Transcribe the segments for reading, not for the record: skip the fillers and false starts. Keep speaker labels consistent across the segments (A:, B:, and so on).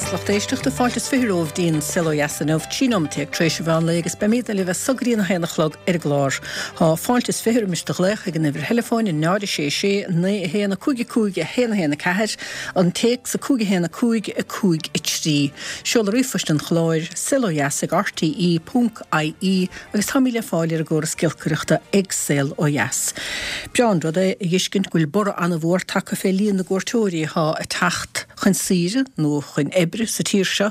A: beatha 's lucht éisteachta, fáilte is 20 romhaibh dtí'n Saol Ó Dheas inniu, 13 nóimeat tar éis an mheán lae agus beimídne libh as so go dtí an 1 a chlog ar an gclár. Thá fáilte is 20 roimis do ghlaoch ag an uimhir theileafóin 0 6 6 9 1 5 5 1 1 4, an téacs 5 1 5 5 3. Seoladh ríomhphoist an chláir, saolodheas ag rte ponc ie agus táimid le fáil ar an gcóras giolcaireachta ag Saol Ó Dheas. Breá an rud é a dh'fheiscint go bhfuil borradh ana-mhór tagtha fé líon na gcuairteoirí athá ag teacht chun saoire nó chun oibre sa tír seo.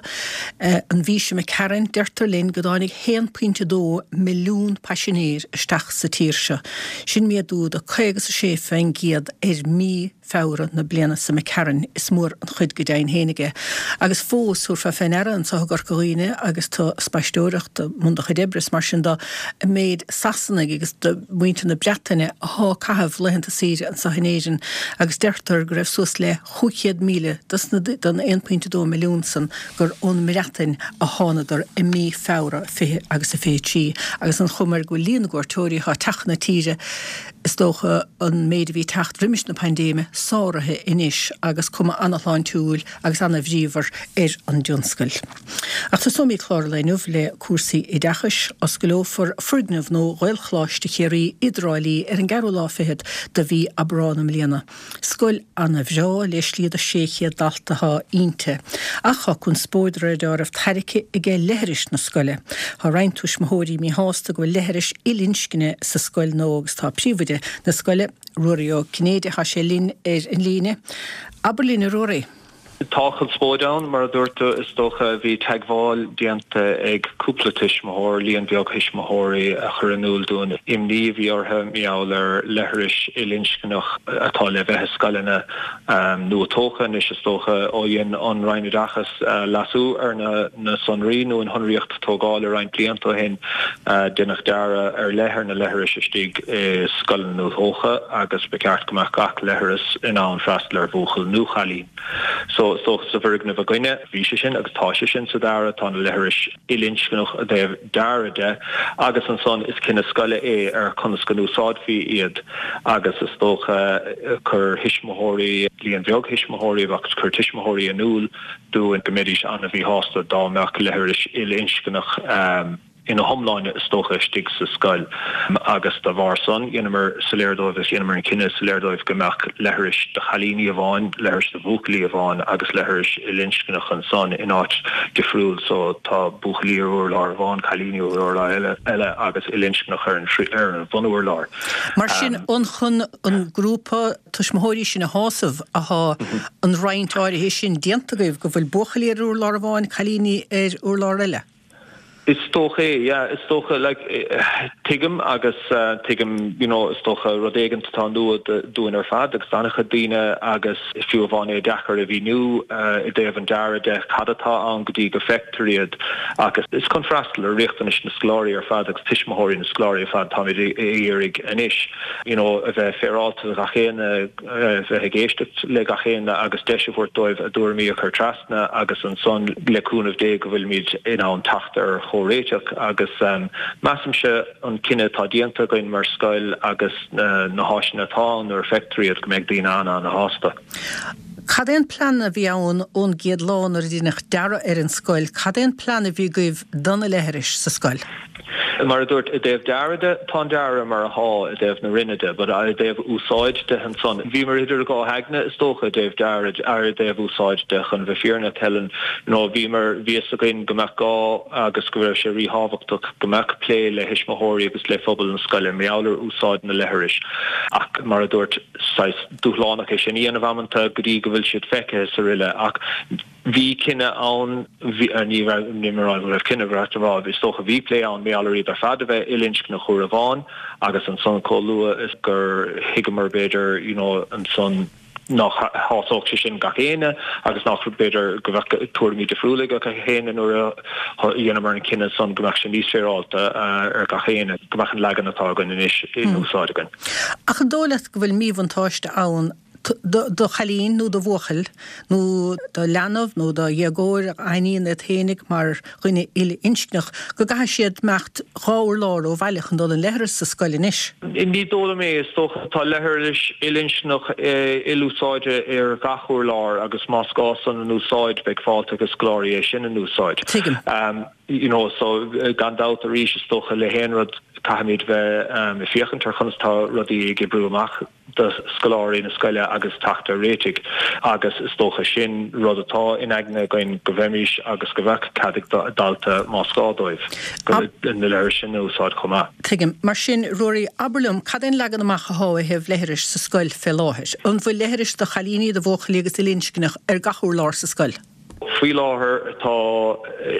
A: An mhí seo imigh tharainn, deirtear linn go dtáinig 1.2 milliún paisinéir isteach sa tír seo. Sin méadú de 56% ar mí Feabhra na bliana seo imigh tharainn, is mór an chuid go deimhin fhéinig é. Agus fós, thabharfá fé ndeara anso i gCorca Dhuibhne agus tú ag spaisteoireacht i mbun do chuid oibre is mar sin do, an méid Sasanaigh agus de mhuintir na Breataine athá ag caitheamh laethanta saoire anso in Éirinn agus deirtear go raibh suas le 500,000 dos na, den 1.2 milliún san gur ón mBreatain a thánadar i mí Feabhra 20 agus a 23 agus an chuma air go bhfuil líon na gcuairteoirí athá ag teacht chun na tíre Is dócha an méid a bhí ag teacht roimis na paindéime sáraithe anois agus cuma ana-shláintiúil agus ana-bhríomhar ar an dtionscal. Ach tosóimid clár an lae inniu le cúrsaí oideachais. Oscaileofar foirgneamh nua Ghaelcholáiste Chiarraí i dTrá Lí ar an gceathrú lá fichead de mhí Aibreán i mbliana. Scoil ana-bhreá le slí do 600 dalta athá inti. Ach thá conspóid de réir deáraimh tairgthe aige leithris na scoile. Thá roinnt tuismitheoirí míshásta go bhfuil leithris il-inscne sa scoil nua agus tá príomhoide na scoile, Ruairí Ó Cinnéide, thá sé linn ar an líne. Abair linn a Ruairí.
B: Tá conspóid ann, mar a dúirt tú, is dócha. Bhí teagmháil déanta ag cúpla tuismitheoir, líon beag thuismitheoirí, a chuir in iúl dúinn imní a bhí orthu mar gheall ar leithris ilinscneach atá le bheith i scoileanna nua-tógtha anois, is dócha, ó dhein an Roinn Oideachais leasú ar na sonraí nó an shonraíocht tógála roinnt blianta ó shin. Deineadh dearadh ar leith ar na leithris istigh i scoileanna nua-thógtha agus ba cheart go mbeadh gach leithreas in ann freastal ar bhuachaill nó chailín. So, is dócha sa bhfoirgneamh againne, bhí sé sin agus tá sé sin sa dearadh, tá na leithris ilinscneach i dtaobh dearadh de agus ansan is cinneadh scoile é ar conas go n-úsáidfí iad agus is dócha chuir thuismitheoirí, líon beag thuismitheoirí agus chuir tuismitheoirí in iúl dúinn go mbeidís an-mhíshásta dá mbeadh leithris ilinscneach ina hiomláine is dócha istigh sa scoil agus dá bharr san dheineamar soiléir dóibh agus dheineamar an cinneadh soiléir dóibh go mbeadh leithris do chailíní amháin, leithris do bhuachaillí amháin agus leithris ilinscneach ansan in áit difriúil so tá buachaillí ar urlár amháin, cailíní ar urlár eile agus ilinscneach ar an ar an bhunurlár.
A: Mar sin an chun an grúpa tuismitheoirí sin a shásamh athá an roinnt áirithe sin déanta agaibh go bhfuil buachaillí ar urlár amháin, cailíní ar urlár eile?
B: Is dócha é, yeah. Is dócha, like, tuigim agus tuigim, you know, is dócha rud éigint atá nua dúinn ar fad agus d'an-chuid daoine agus fiú amháin é deacair a mhíniú i dtaobh an dearadh de cad atá ann go dtí go bhfeictear iad agus is chun freastal ar riachtanais na scoláirí ar fad agus tuismitheoirí na scoláirí ar fad táimid ag iarraidh anois, you know, a bheith féaráilte do gach éinne, a bheith ag éisteacht le gach éinne agus deis a thabhairt dóibh a dtuairimí a chur trasna agus ansan le cúnamh Dé go bhfuilimid in ann teacht ar chomhréiteach agus measaimse an cinneadh atá déanta againn mar scoil agus na háiseanna atá ann nuair a feictear iad go mbeidh daoine an-an-shásta.
A: Cad é an plean a bhí ann ón gcéad lá nuair a deineadh dearadh ar an scoil, cad é an plean a bhí agaibh do na leithris sa scoil?
B: Mar a dúirt, i dtaobh dearadh de, tá an dearadh mar athá i dtaobh na roinne de, but i dtaobh úsáid de ansan, bhíomar idir dhá aigne is dócha i dtaobh dearadh, ar i dtaobh úsáid de, chun bheith fírinneach, Helen, you know, bhíomar, bhí fhios againn go mbeadh gá agus go raibh sé ríthábhachtach go mbeadh plé le thuismitheoirí agus le phobal na scoile mar gheall ar úsáid na leithris ach mar a dúirt, saghas dúshlánach é sin a dhéanamh amanta go dtí go bhfuil siad feicthe is aroile ach Bhí cinneadh ann, bhí, ní raibh, ní raibh, ní raibh cinneadh, ba cheart a rá, is dócha, bhí plé ann, mar gheall ar iad ar fad a bheith ilinscneach uair amháin agus ansan chomh luath is gur thuigeamar b'fhéidir, you know, ansan nach shásódh sé sin gach éinne agus nach, b'fhéidir, go mbeadh tuairimí difriúla ag gach éinne nuair a dheineamar an cinneadh san go mbeadh sé níos féaráilte ar gach éinne, go mbeadh an leagan atá againn anois in úsáid againn.
A: Ach an dóigh leat go bhfuil míbhuntáiste ann? Do chailín nó do bhuachaill, nó do leanbh nó do dhéagóir a aithníonn iad fhéinig mar dhuine uile-inscneach, go gcaithfidh siad imeacht 2 urlár ó bhaile chun dul an leithreas sa scoil anois.
B: Ní dóigh liom é. Is dócha tá leithris uile-inscneach ilúsáide ar gach urlár agus más gá san an úsáid beidh fáilte ag scoláirí é sin an úsáid.
A: Tuigim.
B: You know, so gan dabht arís is dócha le haon rud caithfimid bheith ag féachaint ar chonas tá rudaí ag oibriú amach. do scoláirí na scoile agus teacht ar réitigh agus is dócha sin rud atá in aigne againn go bheimís agus go bheadh cead ag dalta más gá dóibh na leithris sin a úsáid chomh maith.
A: Tuigim. Mar sin, Ruairí, abair liom, cad é an leagan amach athá ó thaobh leithris sa scoil fé láthair? An bhfuil leithris do chailíní, do bhuachaillí agus uile-inscneach ar gach urlár sa scoil?
B: Faoi láthair tá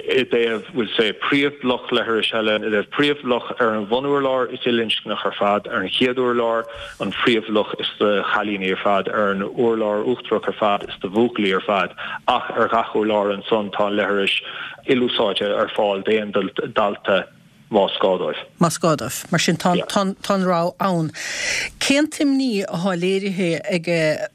B: i dtaobh, we'll say, príomhbhloc leithris eile, i dtaobh príomhbhloc ar an bhunurlár is uile-inscneach ar fad, ar an chéad urlár an phríomhbhloc is do chailíní ar fad, ar an urlár uachtarach ar fad is do bhuachaillí ar fad ach ar ghach urlár ansan tá an leithris ilúsáidte ar fáil d'aon dalta. más gá dóibh.
A: Más gá dóibh. Mar sin, tá an rogha ann. Cén t-imní athá léirithe ag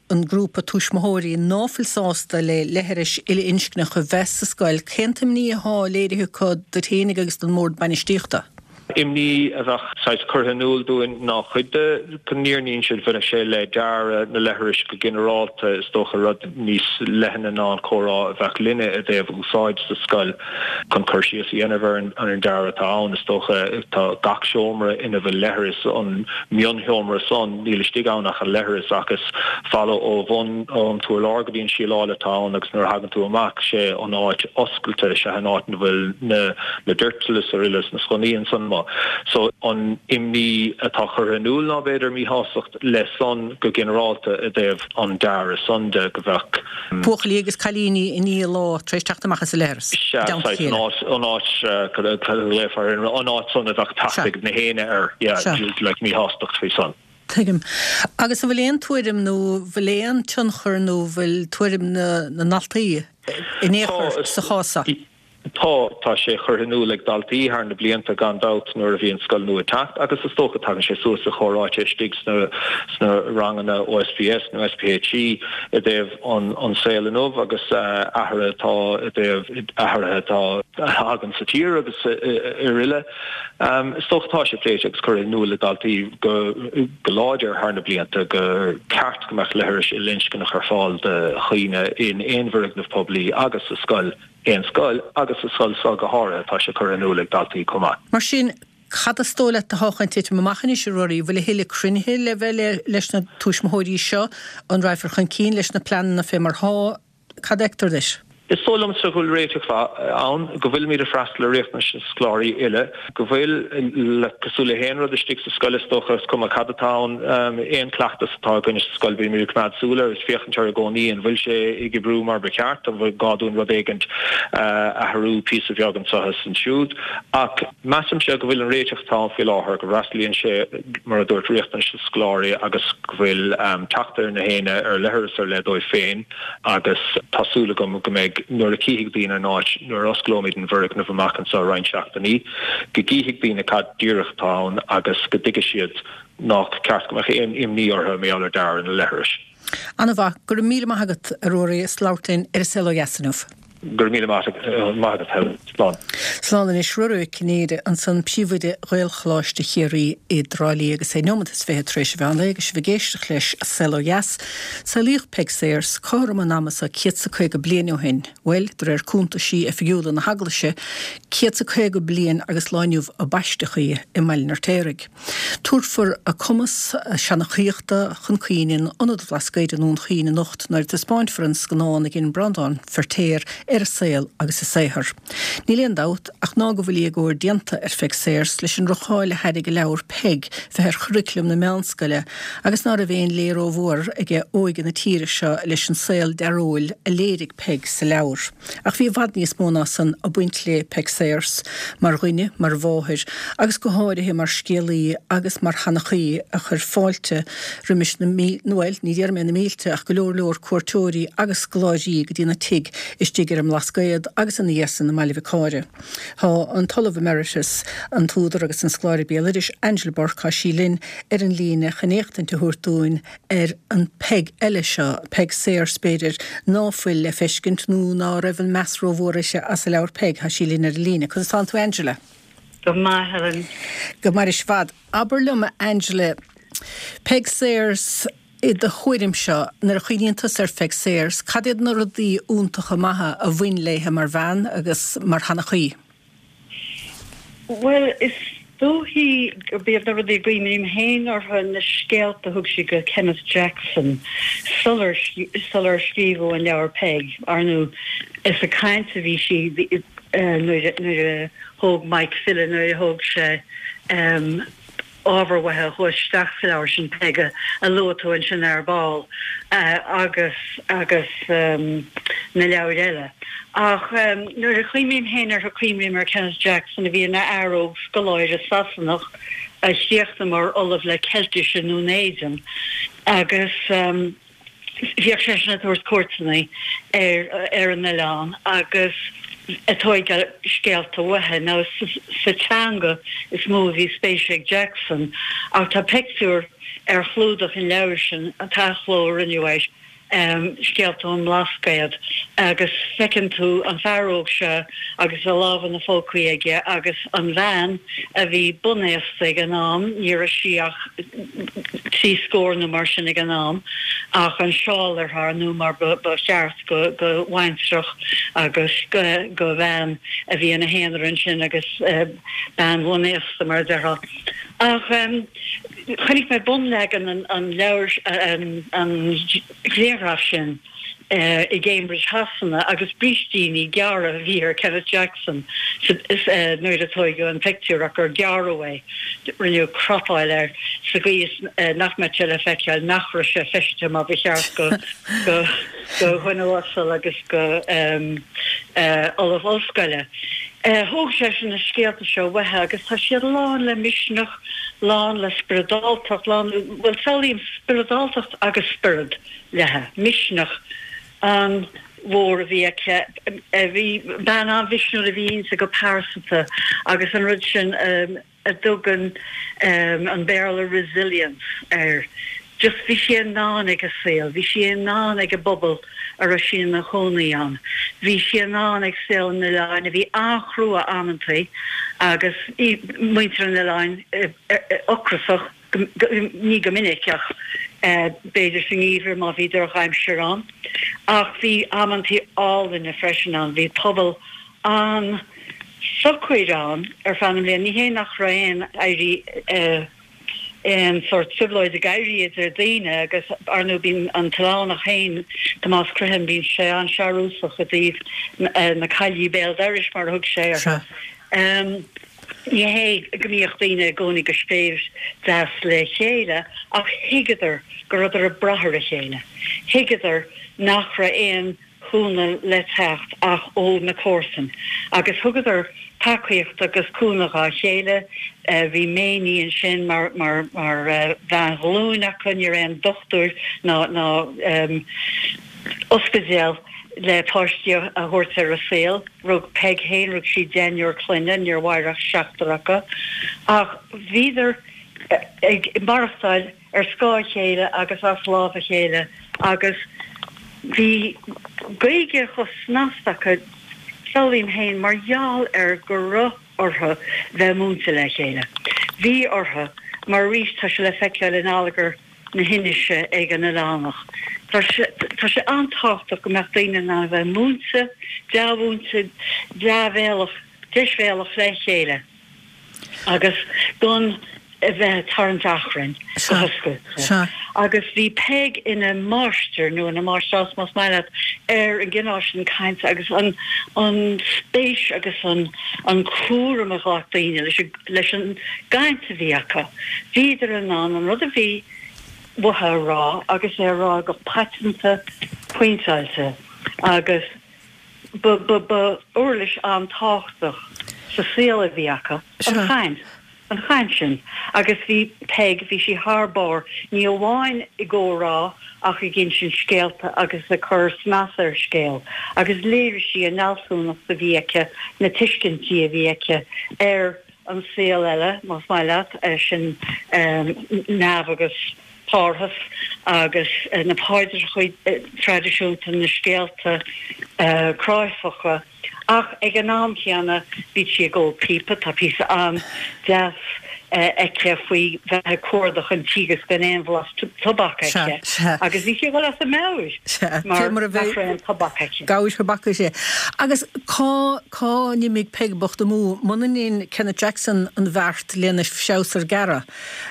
A: an grúpa tuismitheoirí ná fuil sásta le leithris uile-inscneach a bheith sa scoil, cén t-imní athá léirithe acu duit fhéinig agus don mBord Bainistíochta?
B: Imní a bheadh saghas curtha in iúl dúinn ná cuid de go ndéarfainn bhaineadh sé le dearadh na leithris go ginearálta, is dócha rud níos leithne ná an comhrá a bheadh linne i dtaobh úsáid sa scoil. Chun cur síos a dhéanamh ar an dearadh atá ann, is dócha, tá gach seomra ina bhfuil leithreas, an mionsheomra san, níl istigh ann ach an leithreas ach is falla ó bhun an t-urlár go dtí an síleáil atá ann agus nuair a thagann tú amach, sé an áit oscailte, sé an áit ina bhfuil na na doirtil is araile is na sconnaí ansan amuigh. So an imní atá curtha in iúl ná b'fhéidir míshástacht le san go ginearálta i dtaobh an dearadh san de, go bheadh.
A: Buachaillí agus cailíní i ndiaidh lá tar éis teacht amach as an leithreas, i
B: Sea,
A: dteannta a
B: saghas, an
A: chéile.
B: áit, an áit, cad a ghlaofá air, an áit san a bheadh teacht
A: Sea.
B: ag na héinne air, yeah,
A: Sea.
B: like míshástacht faoi san.
A: Tuigim. Agus an bhfuil aon tuairim nó bhfuil aon tionchar nó bhfuil tuairim na na ndaltaí in aon chor
B: Tá,
A: sa chás seo?
B: Tá, tá sé curtha in iúl ag daltaí thar na blianta gan dabht nuair a bhí an scoil nua ag teacht agus is dócha tagann sé suas i chomhráite istigh sna sna ranganna OSPS nó SPHE i dtaobh an an saol inniu agus athruithe atá i dtaobh athruithe atá a thagann sa tír agus araile. Is dócha tá sé pléite agus curtha in iúl ag daltaí go go láidir thar na blianta gur ceart go mbeadh leithris ilinscneach ar fáil do dhaoine in aon bhfoirgneamh poiblí agus sa scoil. aon scoil, agus sa scoil seo go háirithe, tá sé curtha in iúl ag daltaí chomh maith.
A: Mar sin, cad is dóigh leat atá chun titim amach anois, a Ruairí? Bhfuil a thuilleadh cruinnithe le bheith leis na tuismitheoirí seo? An raghfar chun cinn leis na pleananna fé mar thá? Cad a fheictear duit?
B: Is dóigh liomsa go bhfuil réiteach mhaith ann, go bhfuilimid ag freastal ar riachtanais na scoláirí uile, go bhfuil, cosúil le haon rud istigh sa scoil is dócha, is cuma cad atá ann, aon chleachtas atá againne sa scoil, bímid ag coimeád súil air is féachaint air i gcónaí, an bhfuil sé ag oibriú mar ba cheart, an bhfuil gá dúinn rud éigint a athrú píosa bheag anseo is ansiúd. Ach measaimse go bhfuil an réiteach atá ann faoi láthair, go bhfreastalaíonn sé, mar a dúirt, riachtanais na scoláirí agus go bhfuil teacht ar na héinne ar leithreas ar leith dóibh féin agus tá súil agam go mbeidh, nuair a chífidh daoine an áit, nuair a osclóimid an bhfoirgneamh amach anseo roinnt seachtainí, go gcífidh daoine cad díreach atá ann agus go dtuigfidh siad nách ceart go mbeadh aon imní orthu mar gheall ar dearadh na leithris.
A: Ana-mhaith. Go raibh míle maith agat, a Ruairí, as labhairt linn ar An Saol Ó Dheas inniu.
B: Go raibh míle maith agat, Helen. Slán.
A: Slán anois. Ruairí Ó Cinnéide ansan, Príomhoide Ghaelcholáiste Chiarraí i dTrá Lí agus é neomat is 20 tar éis an mheán lae agus sibh ag éisteacht leis An Saol Ó Dheas. Saolaíodh Peig Sayers cothrom an ama seo céad 's a 50 bliain ó shin, bhuel, de réir cuntaisí oifigiúla na hEaglaise, céad 's a 50 bliain agus lá inniu a baisteadh í i mBaile an Fheirtéaraigh. Tabharfar a cumas seanchaíochta chun cinn in Ionad an Bhlascaoid i nDún Chaoin anocht nuair a taispeáinfear an scannán a dhein Breandán Feirtéar ar a saol agus a saothar. Níl aon dabht ach ná go bhfuil éagóir déanta ar Pheig Sayers leis an ndroch-cháil a thairrig a leabhar Peig bheith ar churaclam na meánscoile agus ná raibh aon lé rómhór aige óige na tíre seo leis an saol dearóil a léirigh Peig sa leabhar. Ach bhí i bhfad níos mó ná san ag baint le Peig Sayers, mar dhuine, mar mháthair, agus go háirithe mar scéalaí agus mar sheanchaí a chuir fáilte roimis na, bhuel, ní déarfaidh mé na mílte, ach go leor leor cuairteoirí agus scoláirí go dtína tigh istigh ar an. an mBlascaod agus ina dhiaidh san i mBaile Mhic Cáire. Tá an tOllamh Emeritus, an t-údar agus an scoláire béaloidis, Angela Bourke, tá sí linn ar an líne chun éachtaint a thabhairt dúinn ar an Peig eile seo, Peig Sayers b'fhéidir, ná fuil le feiscint nó ná raibh an meas rómhór uirthi as a leabhar Peig. Tá sí linn ar an líne. Conas tánn tú Angela?
C: Go maith, Helen.
A: Go mairis i bhfad. Abair liom, a Angela, Peig Sayers, i do thuairimse, nuair a chuimhníonn tusa ar Pheig Sayers, cad iad na rudaí iontacha maithe a bhain léithe mar bhean agus mar sheanchaí?
C: Bhuel, is dóichí gurb iad na rudaí a gcuimhním féin orthu na scéalta a thug sí go Kenneth Jackson sular sular scríobhadh an leabhar Peig. Ar ndóigh, is ag caint a bhí sí nuair a thóg Mike Fille, nuair a thóg sé ábhar uaithi a chuaigh isteach sa leabhar sin, Peig, a luaigh tú ansin ar ball, agus agus na leabhair eile. Ach nuair a chuimhním féin uirthi, cuimhním ar Kenneth Jackson, a bhí ina fhear óg scoláire Sasanach a chríochnaigh mar Ollamh le Ceiltis i nDún Éideann, agus. Bhíodh seisean ag tabhairt cuairteanna ar ar an oileán agus ag tóigeáil scéalta uaithi. Now sa teanga is mó a bhí spéis ag Jackson ach tá pictiúr ar chlúdach an leabhair sin, an t-athchló a rinneadh air, Scéalta ón mBlascaod, agus feiceann tú an fear óg seo agus a lámha ina phócaí aige agus an bhean a bhí bunaosta ag an am, ní raibh sí ach 30 scór nó mar sin ag an am, ach an seál uirthi, ar ndóigh, mar ba cheart go bhaintreach agus go bhean a bhí ina haonar ansin agus bean bhunaosta, mar a déarfá. Ach chonaic mé bunleagan an leabhair, an ghrianghraif sin, i gCambridge Shasana agus brístíní gearra a bhí ar Kenneth Jackson nuair a tóigeadh an pictiúr ach gur gearradh é, rinneadh cropáil air sa gcaoi is nach mbeadh sé le feiceáil nach raibh sé feistithe mar ba cheart go dhuine uasal agus go ollamh ollscoile. Thóg seisean na scéalta seo uaithi agus tá siad lán le misneach, lán le spioradáltacht, lán, bhuel samhlaím spioradáltacht agus spiorad. léithe. Misneach an-mhór a bhí aici. Bhí, bean an-mhisniúil a bhí inti go pearsanta agus an rud sin a dtugann an Béarla resilience air. Just bhí sí i ndán ag an saol, bhí sí i ndán ag an bpobal a raibh sí ina chónaí ann. Bhí sí i ndán ag saol an oileáin a bhí an-chrua amantaí agus muintir an oileáin ocrasach. ní go minic ach b'fhéidir sa ngeimhreadh má bhí drochaimsir ann. Ach bhí amantaí álainne freisin ann. Bhí pobal an-socair ann ar feadh na mblian. Ní hé nach raibh aon éirí, aon sórt trioblóid ag éirí idir daoine agus ar ndóigh bíonn an t-oileánach féin, Tomás Criomhthain, bíonn sé an-searúsach i dtaobh na caillí béal dorais mar a thug sé orthu. Ní hé go mbíodh daoine i gcónaí go séimh deas le chéile ach thuigeadar go rabhadar ag brath ar a chéile. Thuigeadar nach raibh aon chúnamh le teacht ach ó na comharsain agus thugadar tacaíocht agus cúnamh dhá chéile. Bhí Méiní ansin mar bhean ghlúin acu, ní raibh aon dochtúir ná ospidéal le páistí a thabhairt ar an saol. Rug Peig féin, rug sí deichniúr clainne, níor mhair ach seachtar acu. Ach bhíodar ag maireachtáil ar scáth a chéile agus as lámh a chéile agus bhí Gaeilge chomh snasta acu, samhlaím féin, mar gheall ar go raibh orthu bheith múinte le chéile. Bhí orthu, mar arís tá sé le feiceáil in allagar na hInise ag an oileánach. Tá sé, tá sé an-tábhachtach go mbeadh daoine in ann a bheith múinte, dea-mhúinte, dea-bhéalach, deisbhéalach le chéile agus gan a bheith ag tarraingt achrainn go hoscailte. Agus bhí Peig ina máistir, nó ina máistreás más maith leat, ar an gcineál sin cainte agus an, an spéis agus an, an cúram a ghlac daoine leis an. leis an gcaint a bhí acu. Bhíodar in ann an rud a bhí uathu a rá agus é a rá go paiteanta pointeáilte agus ba, ba, ba uirlis an-tábhachtach sa saol a bhí acu, an chaint. an chaint sin. Agus bhí Peig, bhí sí thar barr, ní amháin i gcomhrá ach ag insint scéalta agus ag cur snas ar scéal. Agus léirigh sí an fhealsúnacht a bhí aici, na tuiscintí a bhí aici ar an saol eile, más maith leat, sin neamh agus Parthas agus na paidreacha traidisiúnta, na scéalta cráifeacha, ach ag an am chéanna bhí sí ag ól píopa, tá píosa an-deas aici faoi bheith ag cuardach an tí agus gan aon bhlas tobac aici agus bhí sí ag dul as a meabhair mar nach raibh aon tobac aici.
A: Gabhair thobac is ea. Agus cá cá n-imigh Peig bocht amú muna ndein Kenneth Jackson an bheart lena threabhsar a ghearradh?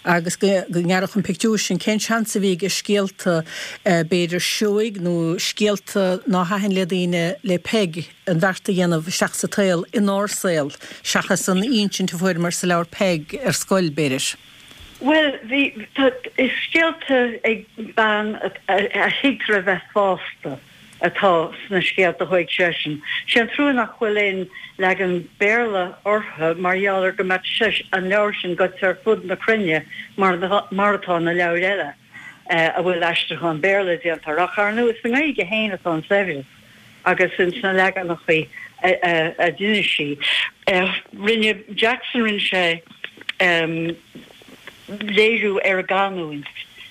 A: Agus go ngearrfadh an pictiúr sin, cén seans a bhí aige scéalta, b'fhéidir, seoigh nó scéalta ná thaitin le daoine, le Peig, an bheart a dhéanamh isteach sa tsaol, inár saol, seachas an insint a fuaireamar sa leabhar Peig ar scoil, b'fhéidir?
C: Bhuel, bhí, tá, is scéalta ag bean a thuigtear a bheith fásta. atá sna scéalta a thóig seisean. Sé an trua nach bhfuil aon leagan Béarla orthu mar gheall ar go mbeadh sé, an leabhar sin goite ar fud na cruinne mar mar atá na leabhair eile a bhfuil aistriúchán Béarla déanta orthu. Ach ar ndóigh is sa nGaeilge féin atá an saibhreas agus ins na leaganachaí a d'inis sí. Rinne Jackson, rinne sé léiriú ar an gcanúint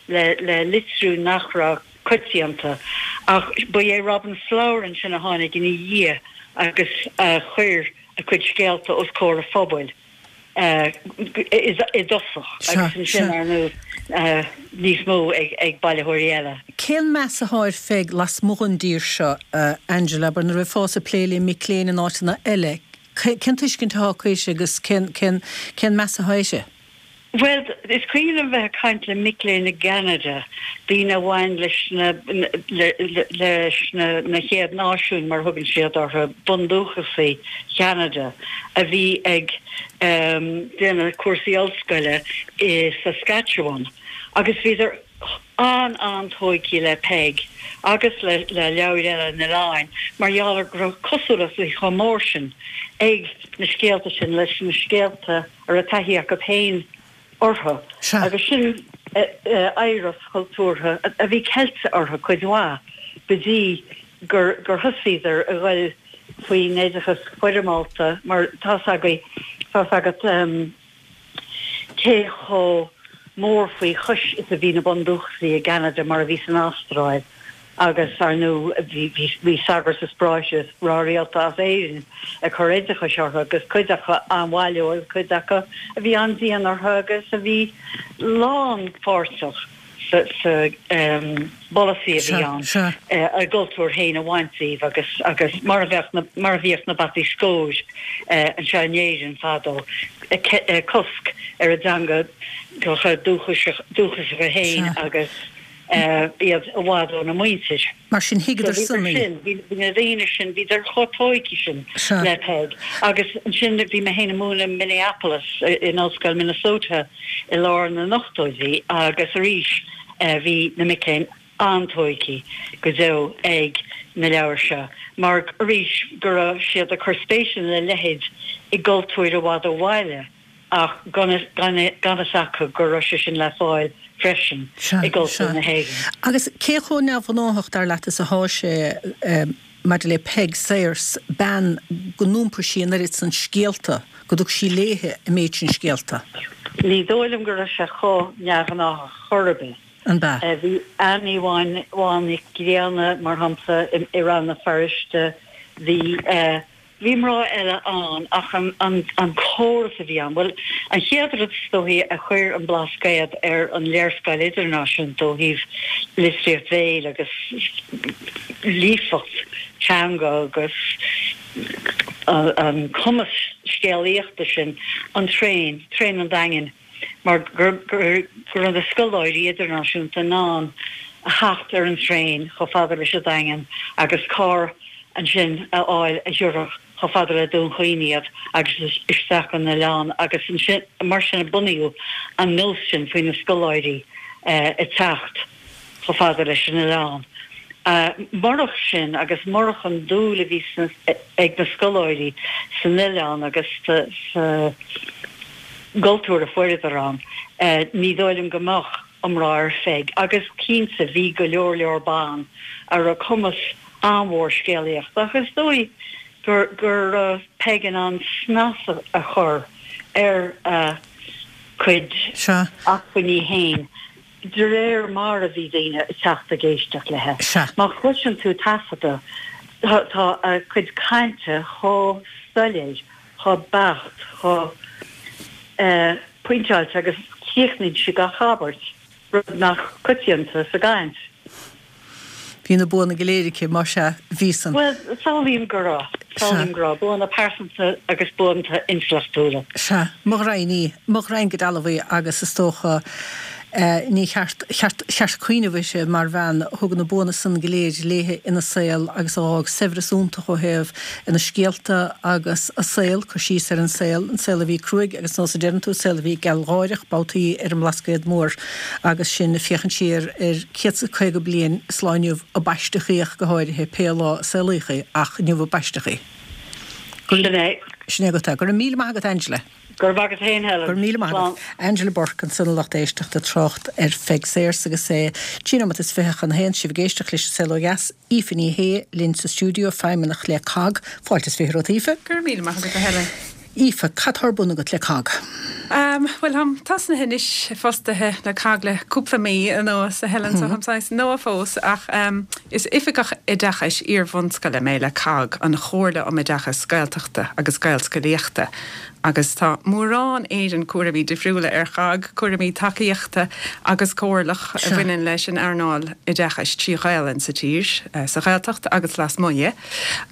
C: le le litriú nach raibh coitianta, ach ba é Robin Flower ansin a tháinig ina dhiaidh agus a chuir a cuid scéalta os comhair an phobail i dtosach agus ansin, ar ndóigh, níos mó ag bailitheoirí eile.
A: Cén meas atá ar Pheig lasmuigh den dtír seo, Angela? Abair, nuair a bheifeá ag plé le mic léinn in áiteanna eile, cén tuiscint atá acu uirthi agus cén meas atá uirthi?
C: Bhuel, is cuimhin liom bheith ag caint le mic léinn i gCeanada, daoine a bhain leis na leis na na Chéad Náisiúin, mar a thugann siad orthu, bundúchasaigh Cheanada, a bhí ag déanamh cúrsaí ollscoile i Saskatchewan, agus bhíodar an-an-tóigthe le Peig agus le le leabhair eile an oileáin mar gheall ar go raibh cosúlacht chomh mór sin ag na scéalta sin leis na scéalta a raibh taithí acu féin orthu agus sin oidhreacht chultúrtha a bhí ceilte orthu cuid mhaith go dtí gur gur thosaíodar a ghoil faoin oideachas foirmeálta mar tá's agaibh, tá's agat cé chomh mór faoi chois is a bhí na bundúchasaigh i gCeanada mar a bhí san Astráil. Agus, ar ndóigh, bhí sagairt is bráithre is mná rialta as Éirinn ag cur oideachais orthu agus cuid acu an-mhaith leo agus cuid acu a bhí an-dian orthu agus a bhí lánpháirteach sa bpolasaí a bhí ann a gcultúr féin a bhaint díobh agus agus mar a bheadh na mar a bhíodh na bataí scóir anseo in Éirinn fadó, cosc ar a dteanga dúchasacha féin agus. iad i bhfad óna muintir.
A: Mar sin, thuigeadar san í.
C: Sin, bhí na daoine sin, bhíodar chomh tóigthe sin le Peig. Agus ansin bhí mé féin ag múineadh i Minneapolis, in Ollscoil Minnesota i lár na n-ochtóidí agus arís bhí na mic léinn an-tóigthe go deo ag na leabhair seo mar arís go raibh siad ag cur spéise ina leithéid i gcultúir i bhfad ó bhaile. ach gan fhios acu go raibh sé sin le fáil freisin i gcultúr na
A: hÉireann. Agus cé chomh neamhghnáthach, dar leat, is athá sé maidir le Peig Sayers, bean go n-iompair sí an oiread san scéalta, go dtug sí léithe an méid sin scéalta?
C: Ní dóigh liom go raibh sé chomh neamhghnáthach chor ar bith.
A: An b'ea?
C: Bhí Annie Bhán Nic Grianna, mar shampla, i Rann na Feirste, bhí. Bhí mná eile ann ach an córas a bhí ann, bhuel, an chéad rud is dóichí a chuir an Blascaod ar an léarscáil idirnáisiúnta ó thaobh litríocht bhéil agus líofacht teanga agus an cumas scéalaíochta sin, an traein, traein an Daingin. mar go raibh na scoláirí idirnáisiúnta in ann a theacht ar an traein chomh fada leis an Daingean agus carr ansin a fháil a thiúrfadh chomh fada le Dún Chaoin iad agus isteach chun an oileáin agus ansin mar sin a bunaíodh an nós sin faoi na scoláirí ag teacht chomh fada leis an oileán. Murach sin agus murach an dúil a bhí ag na scoláirí san oileán agus sa. gcultúr a fuaireadar ann, ní dóigh liom go mbeadh iomrá ar Pheig agus cinnte bhí go leor leor ban a raibh cumas an-mhór scéalaíochta ach is dóigh go raibh Peig in ann snas a chur ar a cuid acmhainní féin de réir mar a bhí daoine ag teacht ag éisteacht léi. Má chloiseann tú taifeadadh, tá a cuid cainte chomh soiléir, chomh beacht, chomh pointeáilte agus críochnaíonn sí gach abairt, rud nach coitianta sa gcaint.
A: Bhí na buanna go léir aici, más ea, bhí san.
C: Bhuel, samhlaím go raibh. Samhlaím go raibh. Buanna pearsanta agus buanna intleachtúla.
A: Sea. Mo ghraidhin í. Mo ghraidhin go dealbh í agus is dócha ní cheart, cheart, cheart cuimhneamh uirthi mar bhean a thug na buanna san go léir léithe ina saol agus a dh'fhág saibhreas iontach ó thaobh ina scéalta agus a saol, cur síos ar an saol, an saol a bhí cruaidh agus nós a deireann tú, saol a bhí gealgháireach babhtaí ar an mBlascaod Mór agus sinn ag féachaint siar ar 150 bliain is lá inniu a baisteadh í ach go háirithe, pé lá a saolaíodh í, ach inniu a baisteadh í. Go
C: Sin é.
A: Sin é agat é. Go raibh míle maith agat Angela.
C: Go raibh maith agat féin Helen.
A: Go raibh míle maith agat. Angela Bourke ansan a lucht éisteachta ag trácht ar Pheig Sayers agus é trí nóimeat is fiche chun a haon, sibh ag éisteacht leis An Saol Ó Dheas, Aoife Ní Shé linn sa stiúideo, feidhmeannach le cogg. Fáilte is fiche romhat Aoife.
D: Go raibh míle maith agat a Helen.
A: Aoife, cad tá ar bun agat le cogg?
D: Bhuel, táim tosnaithe anois fostaithe le cogg le cúpla mí anuas, a Helen, so táim saghas nua fós, ach is Oifigeach Oideachais Iar-bhunscoile mé le cogg, an Chomhairle um Oideachas Gaeltachta agus Gaelscolaíochta, agus tá mórán Éireann cúraimí difriúla ar chogg, cúraimí tacaíochta agus comhairleach a bhaineann leis an earnáil oideachais trí Ghaelainn sa tír, sa Ghaeltacht agus lasmuigh di.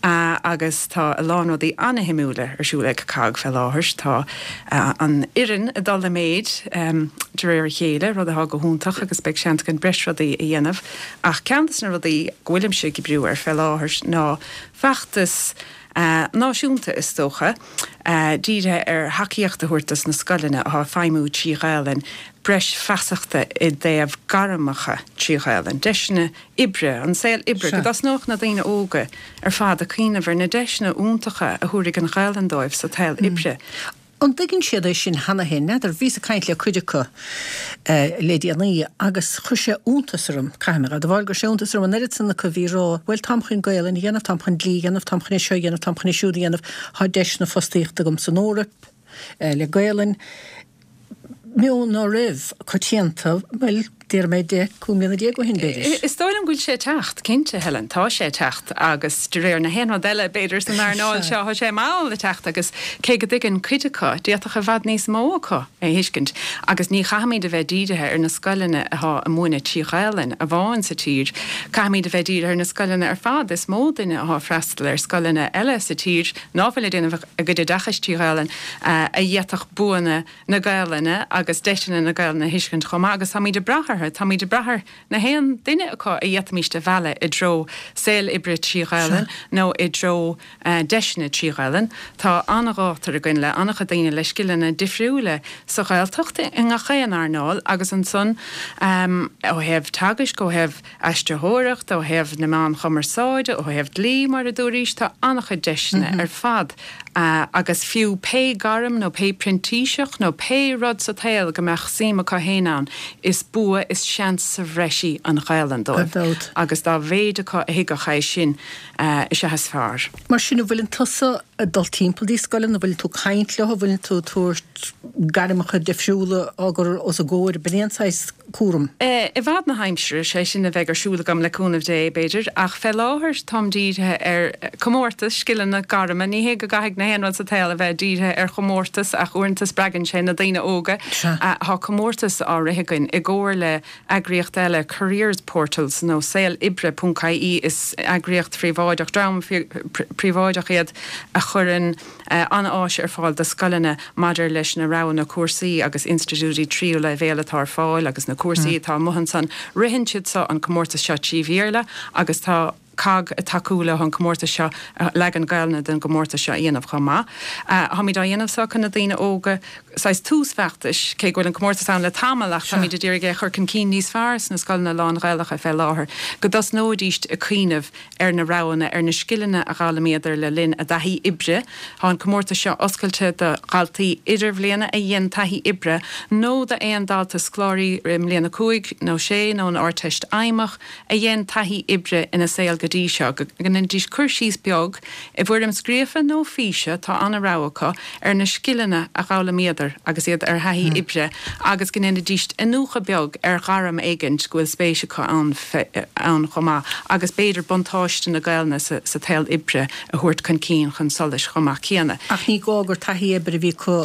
D: Agus tá a lán rudaí an-shuimiúla ar siúl ag cogg fé láthair. Tá an fhoireann ag dul i méid de réir a chéile, rud atá go hiontach agus beidh seans againn breis rudaí a dhéanamh. Ach ceann de na rudaí go bhfuilimse ag oibriú air fé láthair ná feachtas náisiúnta, is dócha, dírithe ar thacaíocht a thabhairt dos na scoileanna atá ag feidhmiú trí Ghaelainn, breis feasachta i dtaobh gairmeacha trí Ghaelainn, deiseanna oibre, an saol oibre, go dtosnódh na daoine óga ar fad ag cuimhneamh ar na deiseanna iontacha a thabharfaidh an Ghaelainn dóibh sa tsaol oibre.
A: An dtuigeann siad é sin cheana féin? N'fheadar. Bhíos ag caint le cuid acu le déanaí agus chuir sé iontas orm, caithfidh mé a admháil go raibh sé iontas orm an oiread san acu a bhí ag rá, bhuel táim chun Gaelainn a dhéanamh, táim chun dlí a dhéanamh, táim chun é seo a dhéanamh, táim chun é siúd a dhéanamh, tá deiseanna fostaíochta agam san Eoraip le Gaelainn. Meon ná raibh coitianta, bhuel, déarfaidh mé 10, 15 mbliana ó shin, b'fhéidir.
D: Is dóigh liom go bhfuil sé ag teacht, cinnte, Helen, tá sé ag teacht agus de réir na haon rud eile, b'fhéidir, san earnáil seo, tá sé mall ag teacht agus cé go dtuigeann cuid acu, d'fhéadfadh i bhfad níos mó acu é a thuiscint agus ní chaithfimid a bheith dírithe ar na scoileanna atá ag múineadh trí Ghaelainn amháin sa tír, caithfimid a bheith dírithe ar na scoileanna ar fad, is mó duine atá ag freastal ar scoileanna eile sa tír ná fuil ag déanamh a gcuid oideachais trí Ghaelainn a d'fhéadfadh buanna na Gaelainne agus deiseanna na Gaelainne a thuiscint chomh maith agus táimid ag brath orthu, táimid ag brath ar na haon duine acu a d'fhéadfaimíst a mhealladh i dtreo saol oibre trí Ghaelainn nó i dtreo deiseanna trí Ghaelainn. Tá an-ghátar againn le an-chuid daoine le scileanna difriúla sa Ghaeltacht i ngach aon earnáil agus ansan ó thaobh teagaisc, ó thaobh aistritheoireacht, ó thaobh na meán chumarsáide, ó thaobh dlí, mar a dúraís, tá an-chuid deiseanna ar fad agus fiú pé gairm nó pé printíseach nó pé rud sa tsaol go mbeadh suim acu fhéin ann, is bua, is seans sa bhreis í an Ghaelainn dóibh agus dá mhéid acu a thuigfeadh é sin is ea is fearr.
A: Mar sin, an bhfuileann tusa ag dul timpeall dtí scoileanna, an bhfuileann tú ag caint leo, an bhfuileann tú ag tabhairt gairmeacha difriúla á gcur os a gcomhair, b'in é an saghas cúram.
D: I bhfad na haimsire, sé sin a bheidh ar siúl agam le cúnamh Dé, b'fhéidir, ach fé láthair táim dírithe ar chomórtas scileanna gairme. Ní hé go gcaithfidh na haon rud sa tsaol a bheith dírithe ar chomórtas ach uaireanta spreagann sé na daoine óga. Tá comórtas á rith againn i gcomhar le eagraíocht eile, Careers Portals nó saoloibre ponc ie, is eagraíocht phríobháideach, dream príobháideach iad a chuireann an-áis ar fáil do scoileanna maidir leis na roghanna cúrsaí agus institiúidí tríú leibhéal atá ar fáil agus na cúrsaí atá amuigh ansan. Ritheann siad seo an comórtas seo trí Bhéarla agus tá cogg ag tacú leo an comórtas seo, leagan Gaelainne den gcomórtas seo a dhéanamh chomh maith. Táimid á dhéanamh seo chun na daoine óga. Saghas tús feachtais, cé go bhfuil an comórtas ann le tamall ach táimid ag iarraidh é a chur chun cinn níos fearr sna scoileanna lán-Ghaelacha fé láthair, go dtosnóidíst ag cuimhneamh ar na roghanna, ar na scileanna a dh'fhoghlaimíodar le linn a dtaithí oibre. Tá an comórtas seo oscailte do dhaltaí idirbhliana a dhein taithí oibre nó d'aon dalta scoláirí i mbliain 5 nó 6 nó an Ardteist Fheidhmeach a dhein taithí oibre ina saol go dtí seo, go ndéanfaidís cur síos beag, i bhfoirm scríofa nó físe, tá an-rogha acu, ar na scileanna a dh'fhoghlaimíodar agus iad ar thaithí oibre agus go ndéanfaidís iniúchadh beag ar ghairm éigint go bhfuil spéis acu ann ann chomh maith agus b'fhéidir buntáiste na Gaelainne sa tsaol oibre a thabhairt chun cinn chun solais chomh maith céanna.
A: Ach ní gá gur taithí oibre a bhí acu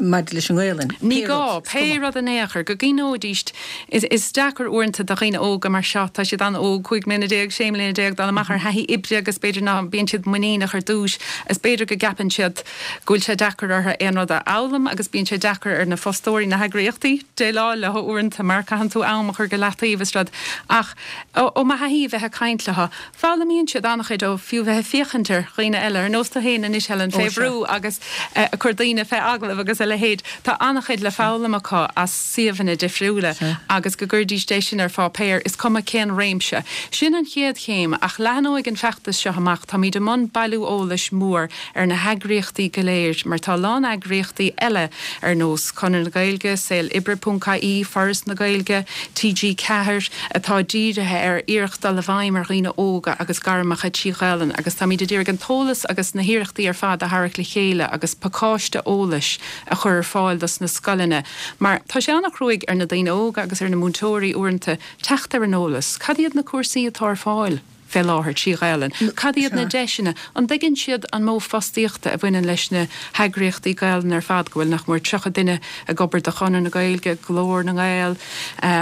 A: maidir leis an nGaelainn,
D: Ní pé gá, rud, is pé cuma. rud in aon chor, go gcuimhneoidís Is deacair uaireanta do dhaoine óga mar seo, tá siad an-óg, 15 mbliana, 16 mbliana, dul amach ar thaithí oibre agus b'fhéidir ná bíonn siad muiníneach ar dtús is b'fhéidir go gceapann siad go bhfuil sé deacair orthu aon rud a fhoghlaim agus bíonn sé deacair ar na fostóirí, na heagraíochtaí déileáil leo uaireanta mar caitheann tú am a chur go leataobh is rud. Ach ó mo thaithí a bheith ag caint leo, Foghlaimíonn siad an-chuid ó fiú bheith ag féachaint ar dhaoine eile, ar nós tú féin anois Helen, fé bhrú agus ag cur daoine fé agallamh agus a leithéid. Tá an-chuid le foghlaim acu as suíomhanna difriúla agus go gcuirdís é sin ar pháipéar, is cuma cén réimse. Sin an chéad chéim ach leathnóidh an feachtas seo amach, táimid i mbun bailiú eolais mór ar na heagraíochtaí go léir mar tá a lán eagraíochtaí eile ar nós Conradh na Gaeilge, Saol Oibre ponc ie, Foras na Gaeilge, TG4, atá dírithe ar iarracht dul i bhfeidhm ar dhaoine óga agus gairmeacha trí Ghaelainn agus táimid ag iarraidh an t-eolas agus na hiarrachtaí ar fad a tharrac le chéile agus pacáiste eolais a chur ar fáil dos na scoileanna mar tá sé an-chruaidh ar na daoine óga agus ar na múinteoirí uaireanta teacht ar an eolas. Cad iad na cúrsaí atá ar fáil? fé láthair trí Ghaelainn? Cad iad na deiseanna? An dtuigeann siad an modh fostaíochta a bhaineann leis na heagraíochtaí Gaelainne ar fad, go bhfuil nach mór 30 duine ag obair do Chonradh na Gaeilge, Glór na nGael,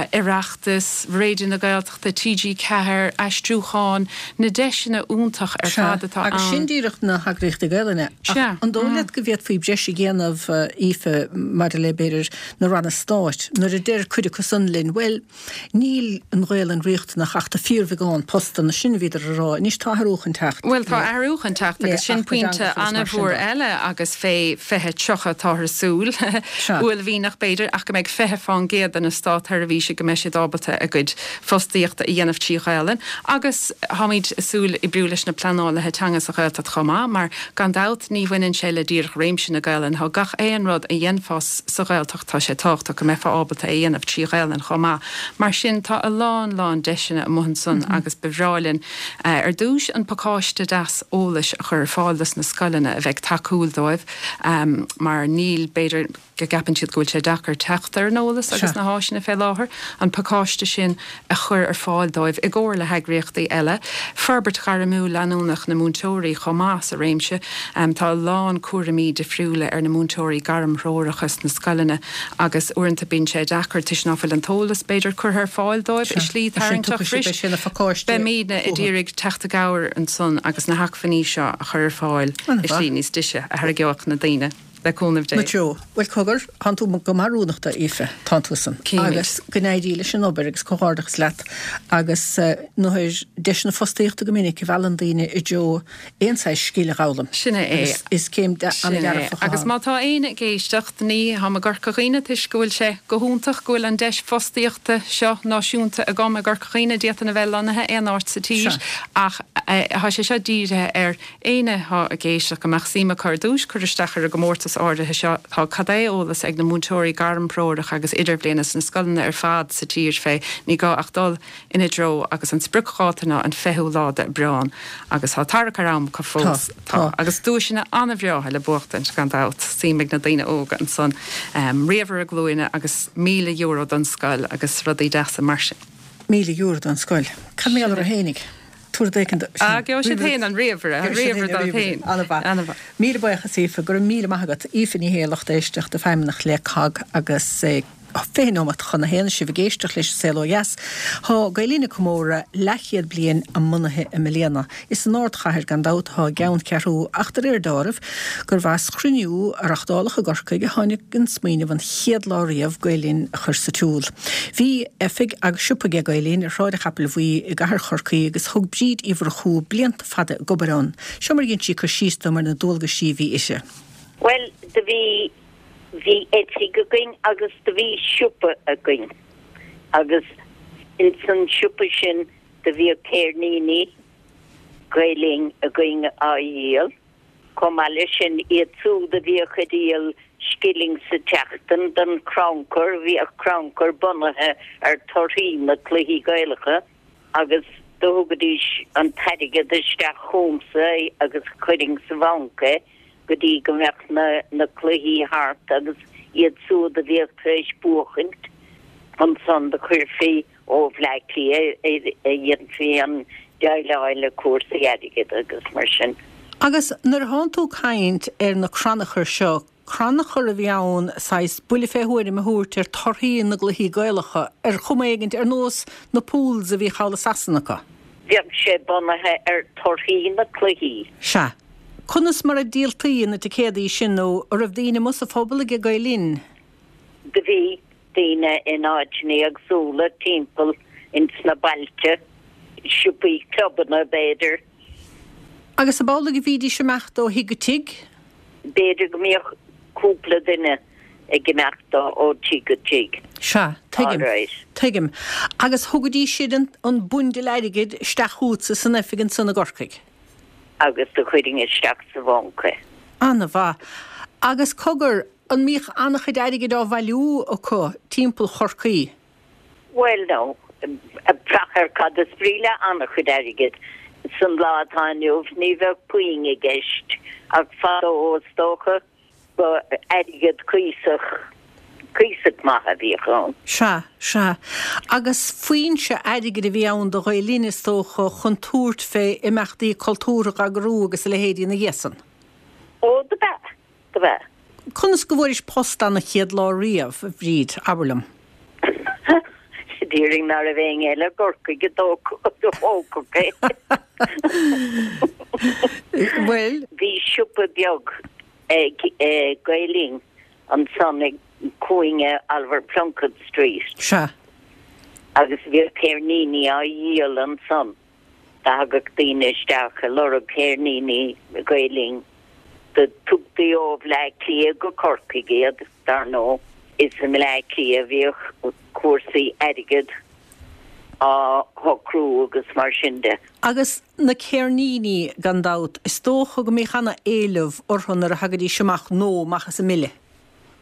D: Oireachtas, Raidió na Gaeltachta, TG4, aistriúchán, na deiseanna iontach ar fad atá
A: ann. Agus sin díreach na heagraíochtaí Gaelainne. Ach an dóigh leat go bhféadfaí breis a dhéanamh, Aoife, maidir le, b'fhéidir, na ranna stáit, nuair a deir cuid acu san linn, bhuel, Níl an Ghaelainn riachtanach ach do fíorbheagán postanna, sin a bhíodar a rá. Anois tá athrú chun teacht.
D: Bhuel tá athrú chun teacht agus sin pointe an-mhór eile agus fé 2030 táthar ag súil, uaillmhianach b'fhéidir, ach go mbeidh 20 fán gcéad de na státsheirbhísigh go mbeidh siad ábalta a gcuid fostaíochta a dhéanamh trí Ghaelainn agus táimid ag súil oibriú leis na pleanálaithe teanga sa Ghaeltacht chomh maith mar gan dabht ní bhaineann sé le díreach réimse na Gaelainne, tá gach aon rud a dhéanfá sa Ghaeltacht. Tá sé tábhachtach go mbeifeá ábalta é a dhéanamh trí Ghaelainn chomh maith. Mar sin, tá a lán, lán deiseanna amuigh ansan agus ba bhreá linn, ar dtúis, an pacáiste deas eolais a chur ar fáil dos na scoileanna a bheidh tacúil dóibh mar níl, b'fhéidir go gceapann siad go bhfuil sé deacair teacht ar an eolas agus na háiseanna fé láthair, an pacáiste sin a chur ar fáil dóibh i gcomhar le heagraíochtaí eile. Forbairt ghairmiúil leanúnach na múinteoirí chomh maith sa réimse. Tá a lán cúraimí difriúla ar na múinteoirí gairmthreoracha sna scoileanna agus uaireanta bíonn sé deacair toisc ná fuil an t-eolas, b'fhéidir, curtha ar fáil dóibh i slí tarraingteach
A: bhris.
D: Beimídne ag iarraidh teacht i gcabhair ansan agus na hacmhainní seo a chur ar fáil i slí níos deise a tharraingeodh na daoine. Le cúnamh Dé.
A: Na treo. Bhuel, cogar, tánn tú go maith rúnachta, a Aoife, tánn tusa.
D: Címid.
A: Agus go n-éirí leis an obair agus comhghairdeachas leat agus nuair deiseanna fostaíochta go minic a mheallann daoine i dtreo aon saghas scil a dh'fhoghlaim.
D: Sin é é.
A: Agus is céim
D: Sin é.
A: an-dearfach atá
D: Agus
A: ann.
D: má tá éinne ag éisteacht, ní tháim i gCorca Dhuibhne toisc go bhfuil sé go hiontach go bhfuil an deis fostaíochta seo náisiúnta agam i gCorca Dhuibhne, d'fhéadfainn a bheith lonnaithe aon áit sa tír
A: Sea.
D: ach tá sé seo dírithe ar Éinne atá ag éisteacht go mbeadh suim acu ar dtúis cur isteach ar an gcomórtas áirithe seo, tá cad é eolas ag na múinteoirí gairmthreorach agus idirbhliana sna scoileanna ar fad sa tír fé, ní gá ach dul ina dtreo agus an spriocdháta ná an 20ú lá d'Aibreán agus tá tarrac ar am acu fós.
A: Tá, tá.
D: Agus duaiseanna an-bhreátha le buachtaint gan dabht, suim ag na daoine óga ansan, ríomhaire glúine agus €1,000 don scoil agus rudaí deasa mar sin.
A: €1,000 don scoil. Cad mar gheall orthu fhéinig? Tabhair rud éicint
D: dó. Ah, gheobhaidh siad féin an ríomhaire, an ríomhaire dóibh féin.
A: An-mhaith.
D: An-mhaith.
A: Míle buíochas, Aoife. Go raibh míle maith agat. Aoife Ní Shé, lucht éisteachta, Feidhmeannach le cogg agus 20 nóimeat chun a haon sibh ag éisteacht leis an Saol Ó Dheas. Tá Gael Linn ag comóradh leathchéad bliain a mbunaithe i mbliana. Is san ardchathair gan dabht atá a gceanncheathrú ach de réir deáraimh gurbh as chruinniú a reachtáladh i gCorcaigh a tháinig an smaoineamh an chéad lá riamh Gael Linn a chur sa tsiúl. Bhí oifig agus siopa aige Gael Linn ar Shráid an Chapaill Bhuí i gcathair Chorcaí agus thug Bríd Uí Mhurchú blianta fada ag obair ann. Seo mar a dhein sí cur síos dom ar na dualgaisí a bhí uirthi.
E: Bhuel, do bhí. Bhí oifig againn agus do bhí siopa againn agus ins an siopa sin do bhíodh céirníní Gael Linn againn á dhíol. Chomh maith leis sin, iad súd a bhíodh ag díol scilling sa tseachtain don chrannchur, bhíodh crannchur bunaithe ar torthaí na cluichí Gaelacha agus do thugaidís an t-airgead isteach chugamsa agus chuirfinn sa bhanc é go dtí go mbeadh na na cluichí thart agus iad súd a bhíodh tar éis buachaint ansan do chuirfí ó Bhleá Cliath a dhéanfaí an déileáil le cúrsaí airgid agus mar sin.
A: Agus nuair atánn tú ag caint ar na crannchuir seo, crannchur a bhí ann saghas buille fé thuairim a thabhairt ar torthaí na gcluichí Gaelacha, ar chuma éigint, ar nós na pools a bhí thall i Sasana acu.
E: Bheadh sé bunaithe ar torthaí na cluichí.
A: Sea. Conas mar a díoltaí na ticéadaí sin nó an raibh daoine amuigh sa phobal aige Gael Linn?
E: Do bhí. daoine in áiteanna éagsúla timpeall ins na bailte, siopaí, clubanna b'fhéidir.
A: Agus ab amhlaidh a bhídís ag imeacht ó thigh go tigh?
E: B'fhéidir go mbíodh cúpla duine ag imeacht ó tigh go tigh.
A: Sea, tuigim, tuigim. Agus thugaidís siad an bundle airgid isteach chugatsa san oifig ansan i gCorcaigh?
E: Agus do chuirfinn isteach sa bhanc é.
A: Ana-mhaith. Agus cogar, An mbíodh an-chuid airgid á bhailiú acu timpeall Chorcaí?
E: Bhuel, no. Ag brath ar cad is brí le an-chuid airgid. San lá atá inniu ní bheadh puinn i gceist ach fadó is dócha ba airgead cuíosach, cuíosach maith a bhíodh ann.
A: Sea, sea. Agus foinse airgid a bhí ann do Ghael Linn is dócha chun tabhairt fé imeachtaí cultúrtha a eagrú agus a leithéidí ina dhiaidh san.
E: Ó, do b'ea. Do b'ea.
A: Conas go bhfuairis post an chéad lá riamh, a Bhríd, abair liom?
E: Déarfainn ná raibh éinne eile i gCorcaigh a d'fhógfadh é.
A: Bhuel.
E: Bhí siopa beag ag Gael Linn ansan ag cúinne Oliver Plunkett Street.
A: Sea.
E: Agus bhíodh ceirníní á dhíol ansan. Do thagadh daoine isteach ag lorg ceirníní Gael Linn. Do tugtaí ó Bhleá Cliath go Corcaigh iad, dar ndóigh. Is i mBleá Cliath a bhíodh cúrsaí airgid á shocrú agus mar sin de.
A: Agus na ceirníní, gan dabht, is dócha go mbíodh ana-éileamh orthu nuair a thagaidís amach nó amach as an mbille.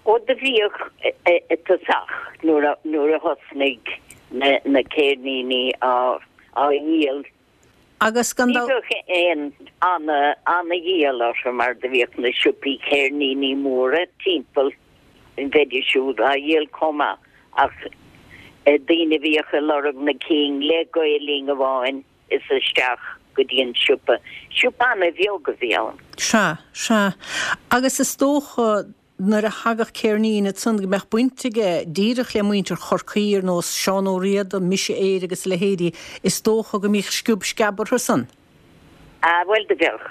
E: Ó do bhíodh i dtosach nuair a thosnaigh na ceirníní á dhíol.
A: Agus gan
E: Ní bheadh aon ana-dhíol orthu mar do bhíodh na siopaí ceirníní móra timpeall, bheidís siúd á dhíol chomh maith ach daoine a bhíodh ag lorg na cinn le Gael Linn amháin is isteach go dtí an siopa. Siopa ana-bheag a bhí ann.
A: Sea, sea. Agus is dócha nuair a thagadh ceirnín ansan go mbeadh baint aige díreach le muintir Chorcaí ar nós Seán Ó Riada, Mise Éire agus a leithéidí, is dócha go mbíodh sciob sceab orthu san.
E: Ah, bhuel do bheadh.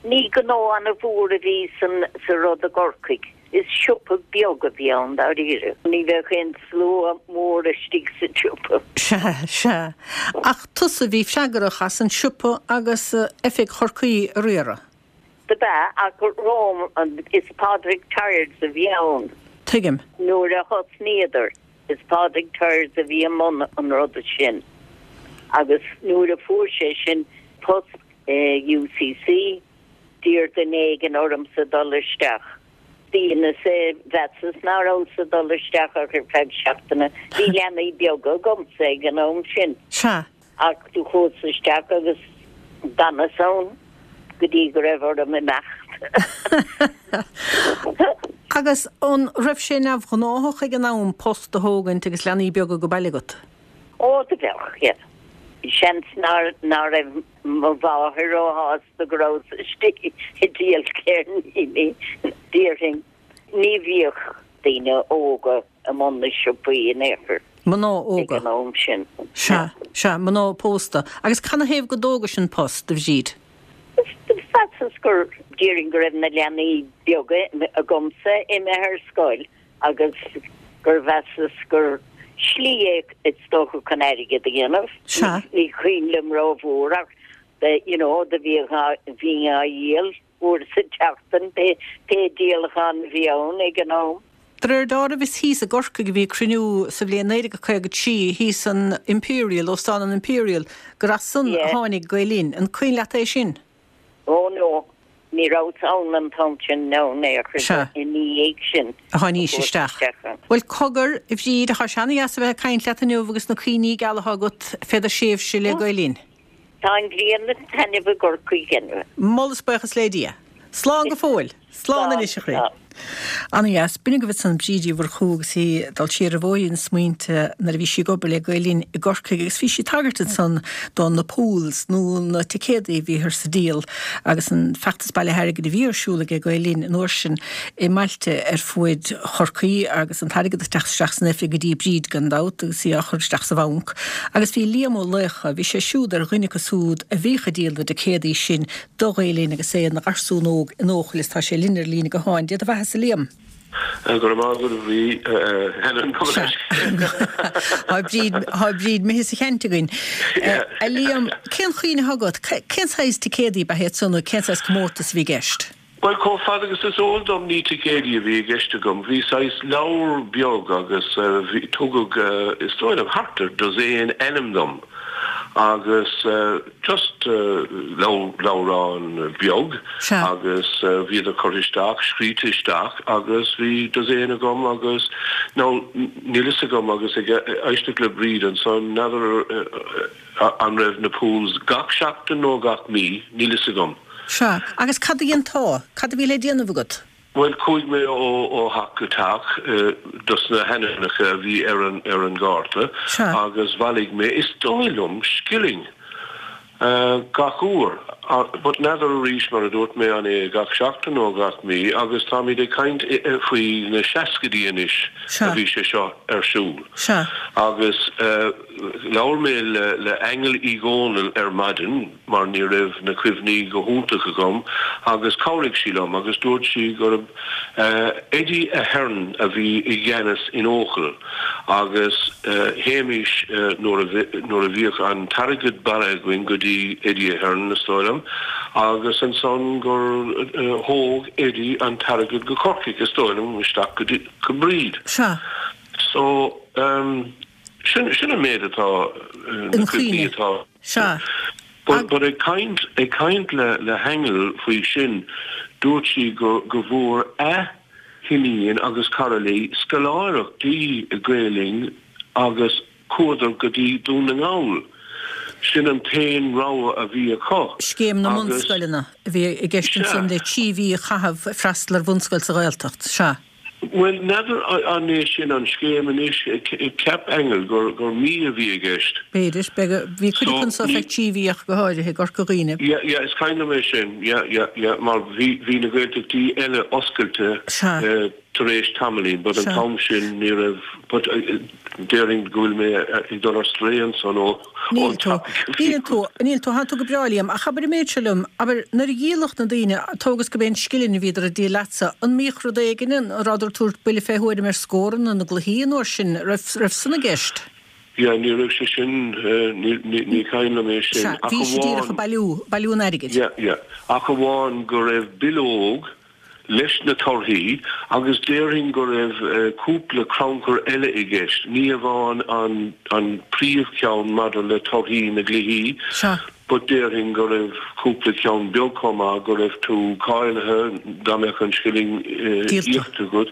E: Ní gnó ana-mhór a bhí san, sa rud i gCorcaigh. Is siopa beag a bhí ann dáiríre. Ní bheadh aon slua mór istigh sa tsiopa.
A: Sea, sea. Ach tusa a bhí freagrach as an siopa agus oifig Chorcaí a riaradh.
E: Do b'ea, ach romham, is Pádraig Tyers a bhí ann.
A: Tuigim.
E: Nuair a thosnaíodar, is Pádraig Tyers a bhí i mbun an ruda sin. Agus nuair a fuair sé sin post i UCC, d'iarr duine éigin ormsa dul isteach. Dheineas é, mheasas ná rabhas ag dul isteach ach ar feadh seachtaine. Bhí leanaí beaga agamsa ag an am sin.
A: Sea.
E: Ach do chuas isteach agus d'fhanas ann go dtí go raibh orm imeacht.
A: Agus an raibh sé neamhghnáthach ag an am post a thógaint agus leanaí beaga ag baile agat?
E: Ó, do bheadh, yeah. Seans ná raibh mo mháthair róshásta go rabhas istigh ag díol ceirníní, déarfainn. Ní bhíodh daoine óga i mbun na siopaí in aon chor.
A: Mná óga.
E: Ag an am sin.
A: Sea, sea, mná pósta. Agus canathaobh go dtógais an post, a Bhríd?
E: Mheasas gur, déarfainn go raibh na leanaí beaga agamsa imithe ar scoil agus gur mheasas gur slí é is dócha chun airgead a dhéanamh.
A: Sea.
E: Ní cuimhin liom rómhór ach you know do bhíodh, bhínn á dhíol uair sa tseachtain pé díolachán a bhí ann ag an am.
A: De réir dealraimh is thíos i gCorcaigh a bhí cruinniú sa bhliain 1953, thíos san Imperial, Óstán an Imperial, gur as san a tháinig Gael Linn. An cuimhin leat é sin?
E: Ó no, ní rabhas ann an t-am sin no in aon chor
A: Sea.
E: ina dhiaidh sin
A: a tháinís isteach. Bhuel, cogar, a Bhríd, tá sé ana-dheas a bheith ag caint leat inniu agus na cuimhní geala atá agat fé do thréimhse le Gael Linn.
E: Tá an ghrian ag taitneamh i gCorcaigh inniu.
A: Moladh is buíochas le Dia. Slán go fóill. Slán anois, a chroí. Ana-dheas. B'in agaibh ansan Bríd Uí Mhurchú agus í ag dul siar ar bhóithrín na smaointe nuair a bhí sí ag obair le Gael Linn i gCorcaigh agus bhí sí ag tagairt ansan do na pools nó na ticéadaí a bhíothar a dhíol agus an feachtas bailithe airgid a bhí ar siúl ag Gael Linn an uair sin i mbailte ar fuaid Chorcaí agus an t-airgead ag teacht isteach san oifig go dtí Bríd gan dabht agus í á chur isteach sa bhanc. Agus bhí Liam Ó Laocha, bhí sé siúd ar dhuine acu súd a bhíodh ag díol na dticéadaí sin do Ghael Linn agus é ina gharsún óg in Eochaill is tá sé linn ar líne gutháin. Dia do bheatha-sa Liam.
F: Go raibh maith agat a Bhrí, Helen, gabh mo leithscéal.
A: Tá Bríd, tá Bríd imithe as a chaint againn. A Liam, cén chuimhne atá agat, cén saghas ticéadaí ab ea iad san nó cén saghas comórtas a bhí i gceist?
F: Bhuel, chomh fada agus is eol dom ní ticéadaí a bhí i gceist agam. Bhí saghas leabhar beag agus bhí, tugadh, is dóigh liom, thart ar dosaen ainm dom agus just leabhrán beag agus bhíodar curtha isteach, scríte isteach agus bhí dosaen agam agus now níl fhios agam agus ag éisteacht le Bríd ansan, n'fheadar, An raibh na pools gach seachtain nó gach mí? Níl fhios agam.
A: Sea. Agus cad a dhéantá? Cad a bhí le déanamh agat?
F: Bhuel, chuaigh mé ó theach go teach dos na hainmneacha a bhí ar an ar an gcárta agus bhailigh mé, is dóigh liom, scilling gach uair. But n'fheadar arís, mar a dúirt mé, an é gach seachtain nó gach mí agus táimid ag caint faoi na seascaidí anois a bhí sé seo ar siúl. Agus. Labhair mé le Aingeal Uí Dhónaill ar maidin mar ní raibh na cuimhní go hiontach agam agus chabhraigh sí liom agus dúirt sí gurb Eddie Ahern a bhí i gceannas in Eochaill agus théimis nuair a bhíodh an t-airgead bailithe againn go dtí Eddie Ahern is dóigh liom agus ansan gur thóg Eddie an t-airgead go Corcaigh is dóigh liom isteach go dtí go Bríd.
A: Sea.
F: So ehm. Sin, sin an méid atá, na cuimhní atá.
A: Sea.
F: But, but ag caint, ag caint le, le hAingeal faoi sin, dúirt sí go, go bhfuair a hiníon agus cara léi scoláireachtaí Gael Linn agus chuadar go dtí Dún na nGall. Sin an t-aon rogha a bhí acu.
A: Scéim na mbunscoileanna a bhí i gceist ansan le 3 mhí a chaitheamh ag freastal ar bhunscoil sa Ghaeltacht. Sea.
F: Bhuel, n'fheadar an é sin an scéim anois. Cheap Aingeal gur mí a bhí i gceist.
A: B'fhéidir. Bhí cuid acu anso feadh 3 mhí ach go háirithe i gCorca Dhuibhne.
F: Yeah, yeah, is cuimhin liom é sin. Yeah, yeah, yeah, mar bhí, bhí na Gaeltachtaí eile oscailte tar éis tamaillín, but an t-am sin ní raibh, but Déarfainn go bhfuil mé ag dul ar strae ansan ó
A: Níl tú. Níl tú. Níl tú. Thánn tú go breá, Liam. Ach abair an méid seo liom, abair, nuair a dhíoladh na daoine, tóg is go b'é an scilling a bhíodar ag díol leatsa, an mbíodh rud éigin, an rabhadar ag tabhairt buille fé thuairim ar scóranna na gcluichí an uair sin, raibh, raibh san i gceist?
F: Yeah, ní raibh sé sin, ní, ní, ní cuimhin liom é sin.
A: Sea,
F: Ach
A: bhí siad díreach
F: amháin.
A: ag bailiú, bailiú an airgid.
F: Yeah, yeah. Ach amháin go raibh bileog leis na torthaí agus déarfainn go raibh cúpla crannchur eile i gceist, ní hamháin an an príomhcheann maidir le torthaí na gcluichí but déarfainn go raibh cúpla ceann beag chomh maith go raibh tú cáilithe dá mbeadh an scilling íoctha agat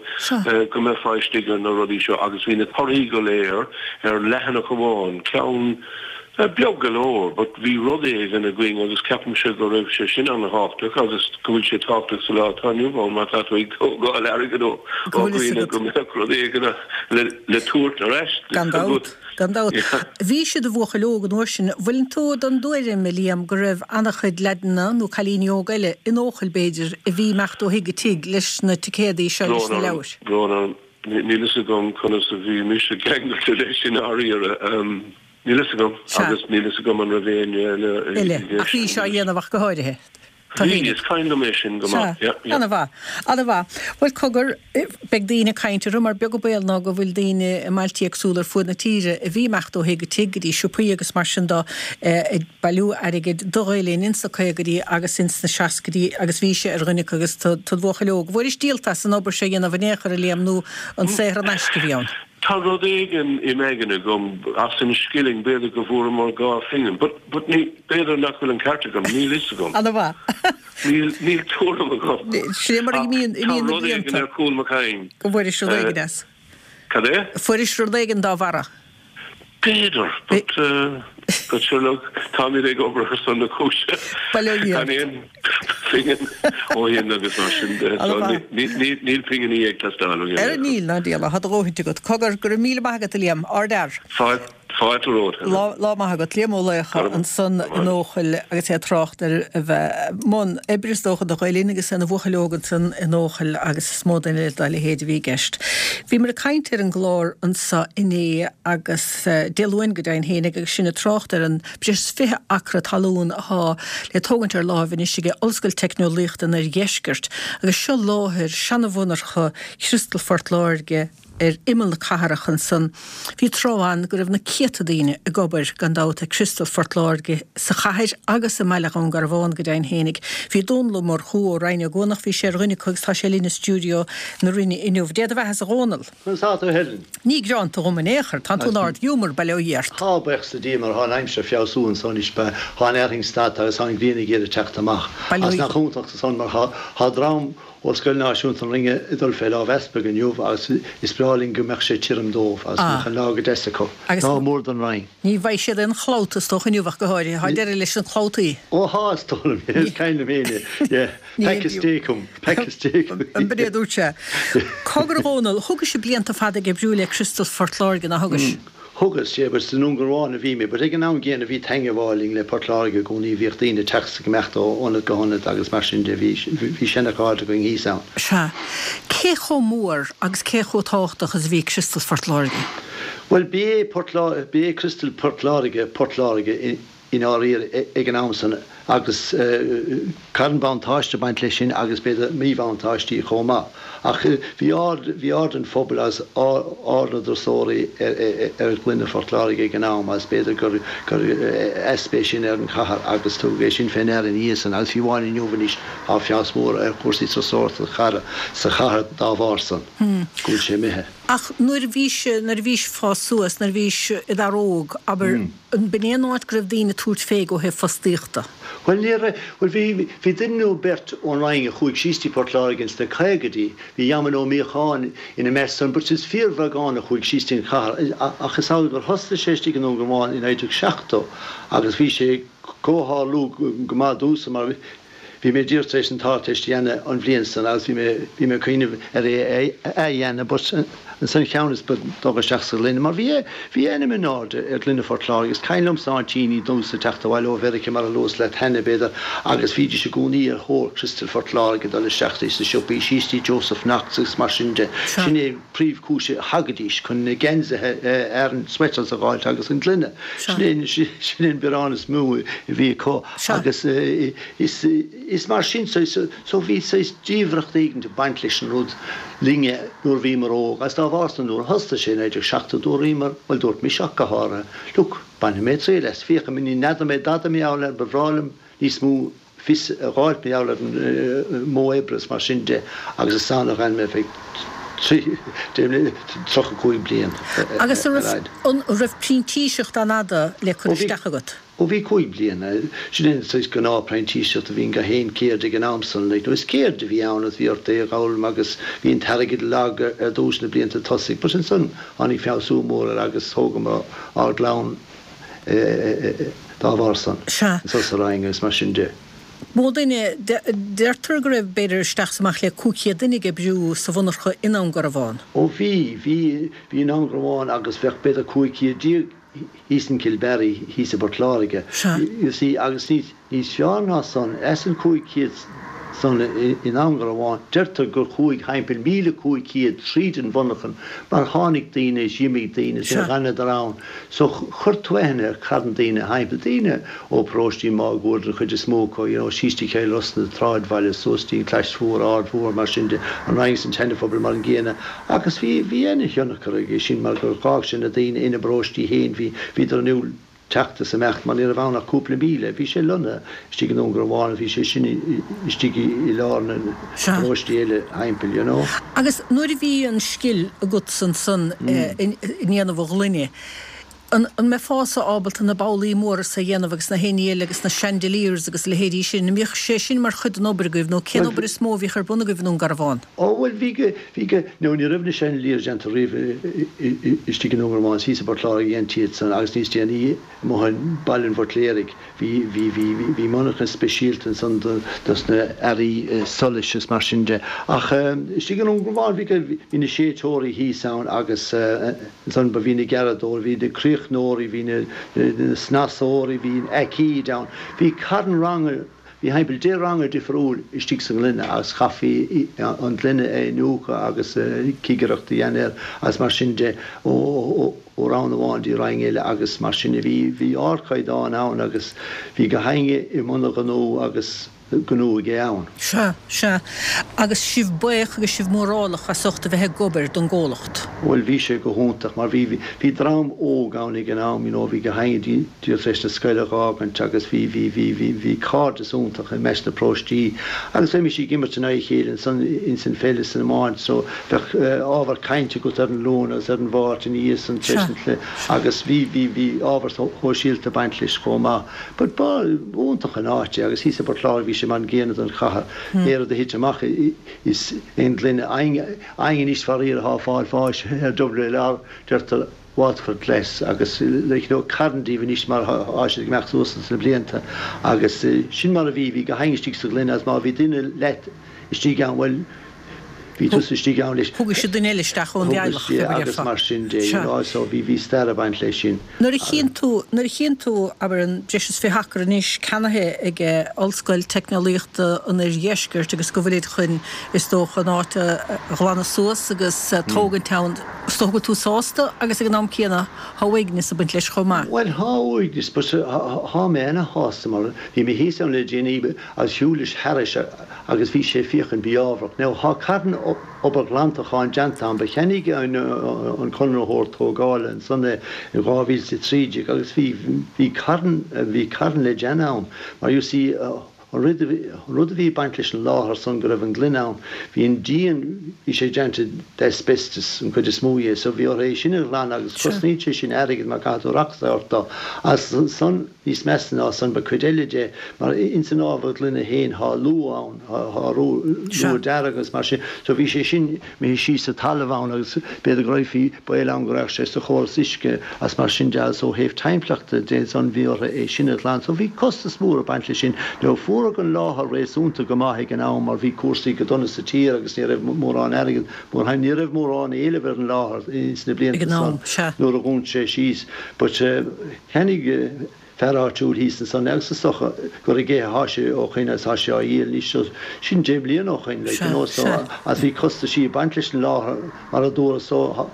F: go mbeifeá istigh ar na rudaí seo agus bhí na torthaí go léir ar leathanach amháin, ceann Beag go leor, but bhí rud éigin againn agus ceapaimse go raibh sé sin an-thábhachtach agus go bhfuil sé tábhachtach sa lá atá inniu ann má tá tú ag tógáil airgead ó dhaoine go mbeadh rud éigin le tabhairt ar ais
A: Gan dabht, gan dabht. Bhís i do bhuachaill óg an uair sin. Bhfuileann tú den dtuairim, a Liam, go raibh an-chuid leaideanna nó cailíní óga eile in Eochaill, b'fhéidir, a bhí ag imeacht ó thigh go tigh leis na ticéadaí seo, leis na leabhair?
F: Brón orm, níl fhios agam conas a bhí mise ceangailte leis i ndáiríre. Níl fhios agam, agus níl fhios agam an raibh éinne eile
A: i gceist. Ach bhí sé á dhéanamh ach go háirithe.
F: Bhí, is cuimhin liom é sin go maith, yeah, yeah.
A: Ana-mhaith, ana-mhaith. Bhuel, cogar, beidh daoine ag caint orthu mar beag an baol ná go bhfuil daoine i mbailtí éagsúla ar fuaid na tíre a bhí ag imeacht ó thigh go tigh, go dtí siopaí agus mar sin do, ag bailiú airgid do Ghael Linn ins na caogaidí agus ins na seascaidí agus bhís-se ar dhuine acu agus tú id bhuachaill óg. Bhfuairis díolta as an obair seo a dhéanamh in aon chor, a Liam, nó an saothar in aisce a bhí ann?
F: Tá rud éigin im aigne agam as an scilling, b'fhéidir go bhfuaireamar 2 phingin, but, but ní, b'fhéidir nach bhfuil an ceart agam, níl fhios agam.
A: Ana-mhaith.
F: Níl, níl tuairim agam.
A: Sin é mar a imíonn, imíonn na
F: Tá rud éigin
A: blianta.
F: ar chúl mo chinn.
A: Go bhfuairis rud éigin as.
F: Cad é?
A: Fuairis rud éigin dá bharra.
F: B'fhéidir, but, but sure look, táimid ag obair ar son na cúise.
A: Bail ó Dhia
F: Gan
A: ort.
F: aon phingin ó shin agus mar sin de, so
A: Ana-mhaith.
F: níl pinginí ag teastáil ó
A: Ara níl, ná diabhal, tá do dhóthaint agat. Cogar, go raibh míle maith agat, a Liam. Ardfhear.
F: Fáilte. Fáilte romhat, Helen.
A: Lá, lá maith agat. Liam Ó Laochdha ansan in Eochaill agus é ag trácht ar a bheith i mbun oibre is dócha do Ghael Linn agus é ina bhuachaill óg ansan in Eochaill agus is mó duine dá leithéid a bhí i gceist. Bhíomar ag caint ar an gclár anso inné agus Dé Luain go deimhin fhéinig agus sinn ag trácht ar an breis is 20 acra talún athá le tógaint ar láimh anois aige Ollscoil Teicneolaíochta an Oirdheiscirt agus seo láthair seana-mhonarcha Chriostal Phort Láirge ar imeall na cathrach ansan. Bhí tráth ann go raibh na céadta daoine ag obair, gan dabht, ag Criostal Phort Láirge sa chathair agus i mbaile Dhún Garbhán go deimhin fhéinig. Bhí Dónall Ó Murchú ó Rinn Ó gCuanach, bhí sé ar dhuine acu agus tá sé linn i stiúideo na Rinne inniu. Dé do bheatha-sa a Dhónaill.
G: Conas tá tú a Helen?
A: Ní greanta dhom in aon chor, tánn tú in ard-ghiúmar, bail ó Dhia ort.
G: Tá, buíochas le Dia, mar thá an aimsir ag feabhsú anso anois, thá an fhearthainn stadta agus thá an ghrian ag iarraidh teacht amach.
A: Bail ó
G: Agus
A: Dhia.
G: nach iontach san mar thá dream ó Scoil Náisiúnta an Rinne ag dul fé lámh Easpaig inniu agus is breá linn go mbeadh sé tirim dóibh agus go mbeadh an lá go deas acu.
A: Agus
G: Lá mór don Rinn.
A: ní bheidh siad aon chlabhta is dócha inniu ach go háirithe. Thá deireadh leis na clabhtaí.
G: Ó thá, is dóigh liom, yeah, is cuimhin liom féin é, yeah.
A: Ní
G: Pack a steak 'em, pack a steak 'em.
A: An b'in é a dúirt sé. Cogar a Dhónaill, thugais blianta fada ag oibriú le Criostal Phort Láirge, nár thugais?
G: Thugas, yeah, but i nDún Garbhán a bhí mé, but ag an am gcéanna bhí teangmháil linn le Port Láirge i gcónaí, bhíodh daoine ag teacht is ag imeacht ó ionad go hionad agus mar sin de, bhí, bhí seana-chairde againn thíos ann.
A: Sea. Cé chomh mór agus cé chomh tábhachtach is a bhí Criostal Phort Láirge?
G: Bhuel, b'é Port Lá, b'é Criostal Port Láirge Port Láirge i, i ndáiríre ag an am san agus caitheann buntáiste baint leis sin agus b'fhéidir míbhuntáistí chomh maith. Ach bhí aird, bhí aird an phobail agus aird na dturasóirí ar ghloine Phort Láirge ag an am agus b'fhéidir gur, gur easpa é sin ar an chathair agus tugadh é sin fé ndeara ina dhiaidh san agus fiú amháin inniu anois tá feabhas mór ar chúrsaí turasóireachta sa chathair dá bharr san, go bhfuil sé imithe.
A: Ach nuair a bhís, nuair a bhís fás suas, nuair a bhís i d'fhear óg, abair, An b'in é an áit go raibh daoine ag tabhairt fé ó thaobh fostaíochta?
G: Bhuel, ní raibh. Bhuel, bhí, bhí duine nó beirt ón Rinn a chuaigh síos dtí Port Láirge ins na caogaidí, bhí Eamonn Ó Míocháin ina measc san, but is fíorbheagán a chuaigh síos dtí an chathair. Ach is amhlaidh gur thosaigh sé istigh i nDún Garbhán i 1970 agus bhí sé ag comhtharlú go maith domhsa mar Bhí mé díreach tar éis an tArdteist a dhéanamh an bhliain san agus bhí mé, bhí mé ag cuimhneamh ar é a athdhéanamh but ansan cheannas ba dul isteach sa ghloine mar bhí, bhí ainm in airde ar ghloine Phort Láirge is cuimhin liomsa aintíní domhsa ag teacht abhaile ó Mheiriceá mar a luas leat cheana b'fhéidir agus bhídís i gcónaí ar thóir Criostal Phort Láirge dul isteach sna siopaí síos dtí Joseph Knox agus mar sin de. Sin é príomhchúis a thagaidís chun na geansaithe Aran sweaters a dh'fháilt agus an gloine. Sin é, sin é an biorán is mó a bhí acu. Agus is mar sin, so bhí saghas diamhracht éigint ag baint leis an rud linne nuair a bhíomar óg agus dá bharr san nuair a thosnaigh sé i 1970 dúraíomar, bhuel dúirt mise ach go háirithe, look, bainfidh mé triail as, féachfaidh mé, ní n'fheadar mé dada mar gheall air, ba bhreá liom níos mó fios a dh'fháilt mar gheall ar an modh oibre is mar sin de agus is ann a dh'fhan mé feadh 35 bliain
A: ar Agus an raibh printíseacht an-fhada le cur isteach agat?
G: Ó bhí cúig bliana. Sin é an saghas gnáth-phreintíseacht a bhí in gach aon céird ag an am san, like, nó is céird a bhí ann agus bhí ort é a dh'fhoghlaim agus bhí an t-airgead lag ar dtús na blianta tosaigh but ansan tháinig feabhsú mór air agus thógamar ár gclann dá bharr san,
A: Sea.
G: anso sa Rinn agus mar sin de.
A: Mó duine, deirtear go raibh b'fhéidir isteach is amach le 500 duine ag oibriú sa mhonarcha i nDún Garbhán.
G: Ó bhí, bhí, bhí i nDún Garbhán agus bheadh b'fhéidir 1500 thíos in Kilbarry, thíos i bPort Láirge,
A: Sea.
G: you see, agus níos, níos fearr ná san, as an 500. san i nDún Garbhán. Deirtear gur chuaigh thimpeall 1,500 tríd an mhonarchan mar tháinig daoine is d'imigh daoine is d'fhanadar ann. So chuir tú aithne ar carn daoine thimpeall, daoine ó paróistí máguaird an chuid is mó acu, you know, síos dtí Cill Rois na tsráidbhaile, suas dtí an Chlais Mhór, Aird Mhór, mar sin de, an Rinn is an tSeana-Phobal mar an gcéanna. Agus bhí, bhí ana-thionchar aige sin mar gur dh'fhág sé na daoine ina bparóistí féin, bhí, bhíodar in iúl teacht is imeacht mar ní raibh ann ach cúpla míle. Bhí sé lonnaithe istigh i nDún Garbhán agus bhí sé sin istigh i lár na bparóistí eile thimpeall, you know.
A: Agus nuair a bhí an scil agatsa ansan i ndéanamh an ghloine, an mbeifeása ábalta na babhlaí móra so a dhéanamh agus na haon ní eile agus na chandeliers agus a leithéidí sin, an mbíodh sé sin mar chuid den obair agaibh nó cén obair is mó a bhíodh ar bun agaibh i nDún Garbhán?
G: Ó bhuel bhí go, bhí go, no ní raibh na chandeliers déanta riamh istigh i nDún Garbhán, thíos i bPort Láirge a dhéantaí iad san agus níos déanaí amuigh i mBaile an Bhuitléaraigh. Bhí, bhí, bhí, bhí monarcha speisialta ansan do, dos na earraí solais is mar sin de. Ach istigh i nDún Garbhán bhí go, bhí na séidteoirí thíos ann agus ansan ba bhí na gearradóirí, bhí na críochnóirí, bhí na, na snasóirí, bhí an aicíd ann. Bhí carn ranga, Bhí thimpeall 10 ranga difriúil istigh sa ngloine agus chaithfí an gloine a iniúchadh agus cigireacht a dhéanamh air agus mar sin de ó roinn amháin dtí roinn eile agus mar sin de. Bhí bhí ardchaighdeán ann agus bhí gach éinne i mbun a ghnó agus gnó aige ann.
A: Sea, sea. Agus sibh buíoch agus sibh mórálach as ucht a bheith ag obair don gcomhlacht.
G: Bhuel bhí sé go hiontach mar bhí, bhí dream óg ann ag an am, you know, bhí gach éinne díreach tar éis na scoile a dh'fhágaint agus bhí, bhí, bhí, bhí, bhí cairdeas iontach i measc na paróistí agus bheimis ag imirt in aghaidh a chéile ansan ins an pheil is san iomáint so bheadh ábhar cainte agat ar an Luan agus ar an Mháirt ina dhiaidh san tar éis an chluiche agus bhí, bhí, bhí ábhar shóisialta ag baint leis chomh maith. But ba iontach an áit é agus thíos i bPort Láirge bhí sé mar an gcéanna don chathair. Pé rud a thit amach is aon ghloine againn anois faraor atá ag fáil bháis ar WLR deirtear Waterford Glass agus like you know carn díobh anois mar thá siad ag imeacht suas ins na blianta agus sin mar a bhí, bhí gach éinne istigh sa ghloine agus má bhí duine leat istigh ann bhuel bhí tusa istigh ann leis.
A: Thugadh siad duine eile isteach ón dteaghlach,
G: fé mar a déarfá. Agus mar sin de, you know, so bhí, bhí stair ag baint leis sin.
A: Nuair a chíonn tú, nuair a chíonn tú, abair, an breis is 20 acra anois ceannaithe ag Ollscoil Teicneolaíochta an Oirdheiscirt agus go bhfuilid chun, is dócha, an áit a ghlanadh suas agus tógaint ann, is dócha go bhfuil tú sásta agus ag an am céanna thá uaigneas ag baint leis chomh maith.
G: Bhuel, thá uaigneas, but thá mé ana-shásta mar bhí mé thíos ann le déanaí agus shiúlais thairis agus bhí sé féachaint biámharach. Now thá carn obair ghlantacháin deanta ann, ba cheannaigh an conraitheoir tógála ansan é in 2013 agus bhí, bhí carn, bhí carn le déanamh ann mar you see an rud, an rud a bhí ag baint leis an láthair san go raibh an gloine ann, bhí an díon, bhí sé déanta d'asbestos an chuid is mó dhe so bhí orthu é sin a ghlanadh agus cosnaíonn sé sin airgead mar caithfidh tú racht a thabhairt dó agus ansan, Níos measa ná san, ba cuid eile de, mar ins an ábhar gloine féin thá luaith ann, thá luaith dearg agus mar sin, so bhí sé sin imithe síos sa talamh ann agus b'fhéidir go raghfaí, baol ann go raghadh sé sa chóras uisce agus mar sin de agus ó thaobh timpeallachta de ansan bhí orthu é sin a ghlanadh. So bhí costas mór ag baint leis sin. Now fuaradh an láthair réasúnta go maith ag an am mar bhí cúrsaí go dona sa tír agus ní raibh mórán airgead, mórán, ní raibh mórán éileamh ar an láthair ins na blianta san nuair a dhún sé síos but, Cheannaigh fear áitiúil thíos ansan é agus is dócha gur aige athá sé ó shoin agus tá sé á dhíol anois so sin deich mbliana ó shoin like you know so agus bhí costaisí ag baint leis an láthair mar a dúradh so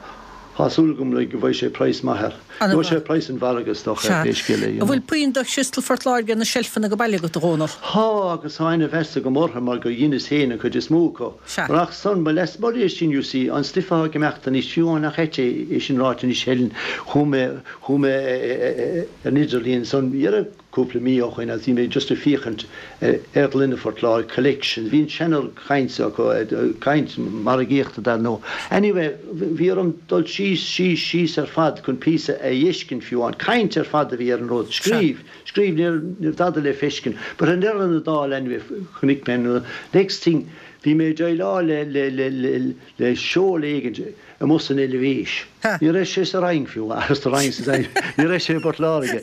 G: thá súil agam like go bhfaighidh sé praghas maith air. Gheobhaidh sé praghas an mhargaidh is dócha ar pé scéal é you
A: know. An bhfuil puinn de chriostal Phort Láirge ar na seilfeanna ag baile agat a Dhónaill?
G: Thá agus thá ana-mheas agam orthu mar gur dheineas féin an chuid is mó acu.
A: Sea.
G: Ach san, ba leasmuigh é sin you see, an stuif athá ag imeacht anois fiú amháin nach ait é sin ráite anois Helen, chuaigh mé, Chuaigh mé ar an idirlíon ansan dheireadh cúpla mí ó shoin agus bhí mé just ag féachaint ar ghloine Phort Láirge collections. Bhí an seana-chaint acu, caint margaíochta dar ndóigh. Anyway, bhí orm dul síos, síos, síos ar fad chun píosa a fheiscint fiú amháin. Caint ar fad a bhí ar an rud. Scríobh, scríobh, ní raibh dada le feiscint. But i ndeireadh na dála anyway, chonaic mé an rud. Next thing, bhí mé ag déileáil le, le, le, le, le seol éigint amuigh san Eilvéis. Ní raibh sé sa Rinn fiú, agus sa Rinn sa Rinn, ní raibh sé i bPort Láirge.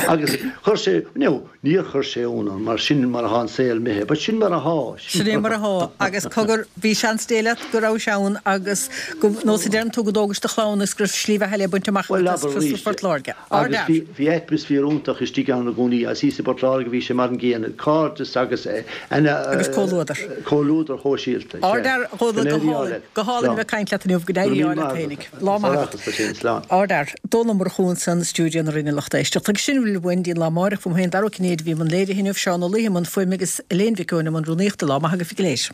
G: Agus chuir sé, no, níor chuir sé ionadh orm, mar sin mar athá an saol imithe, but sin mar athá.
A: Sin é mar athá, agus cogar, bhí seans Dé leat go rabhais ann agus go, nós a deireann tú, go dtógais do chlann agus go raibh slí bheatha eile bainte amach
G: agat as Phort
A: Phort Láirge.
G: Agus bhí, bhí atmaisféar iontach istigh ann i gcónaí, agus thíos i bPort Láirge bhí sé mar an gcéanna, cairdeas agus
A: Agus comhluadar.
G: Comhluadar shóisialta, sea.
A: Ardfhear, a Dhónaill, go hálainn, go hálainn a bheith ag caint leat inniu, go n-éirí ádh leat fhéinig. Lá maith agat. Ardfhear. Dónall Ó Murchú ansan i stiúideo na Rinne lucht éisteachta. Agus sin a bhfuil uainn go dtí an lá amáireach. Uaim féin Dara Ó Cinnéide a bhí i mbun léirithe inniu, Seán Ó Laoithe i mbun fuaime agus Elaine Mhic Eoin i mbun rúnaíochta. Lá maith agaibh go léir.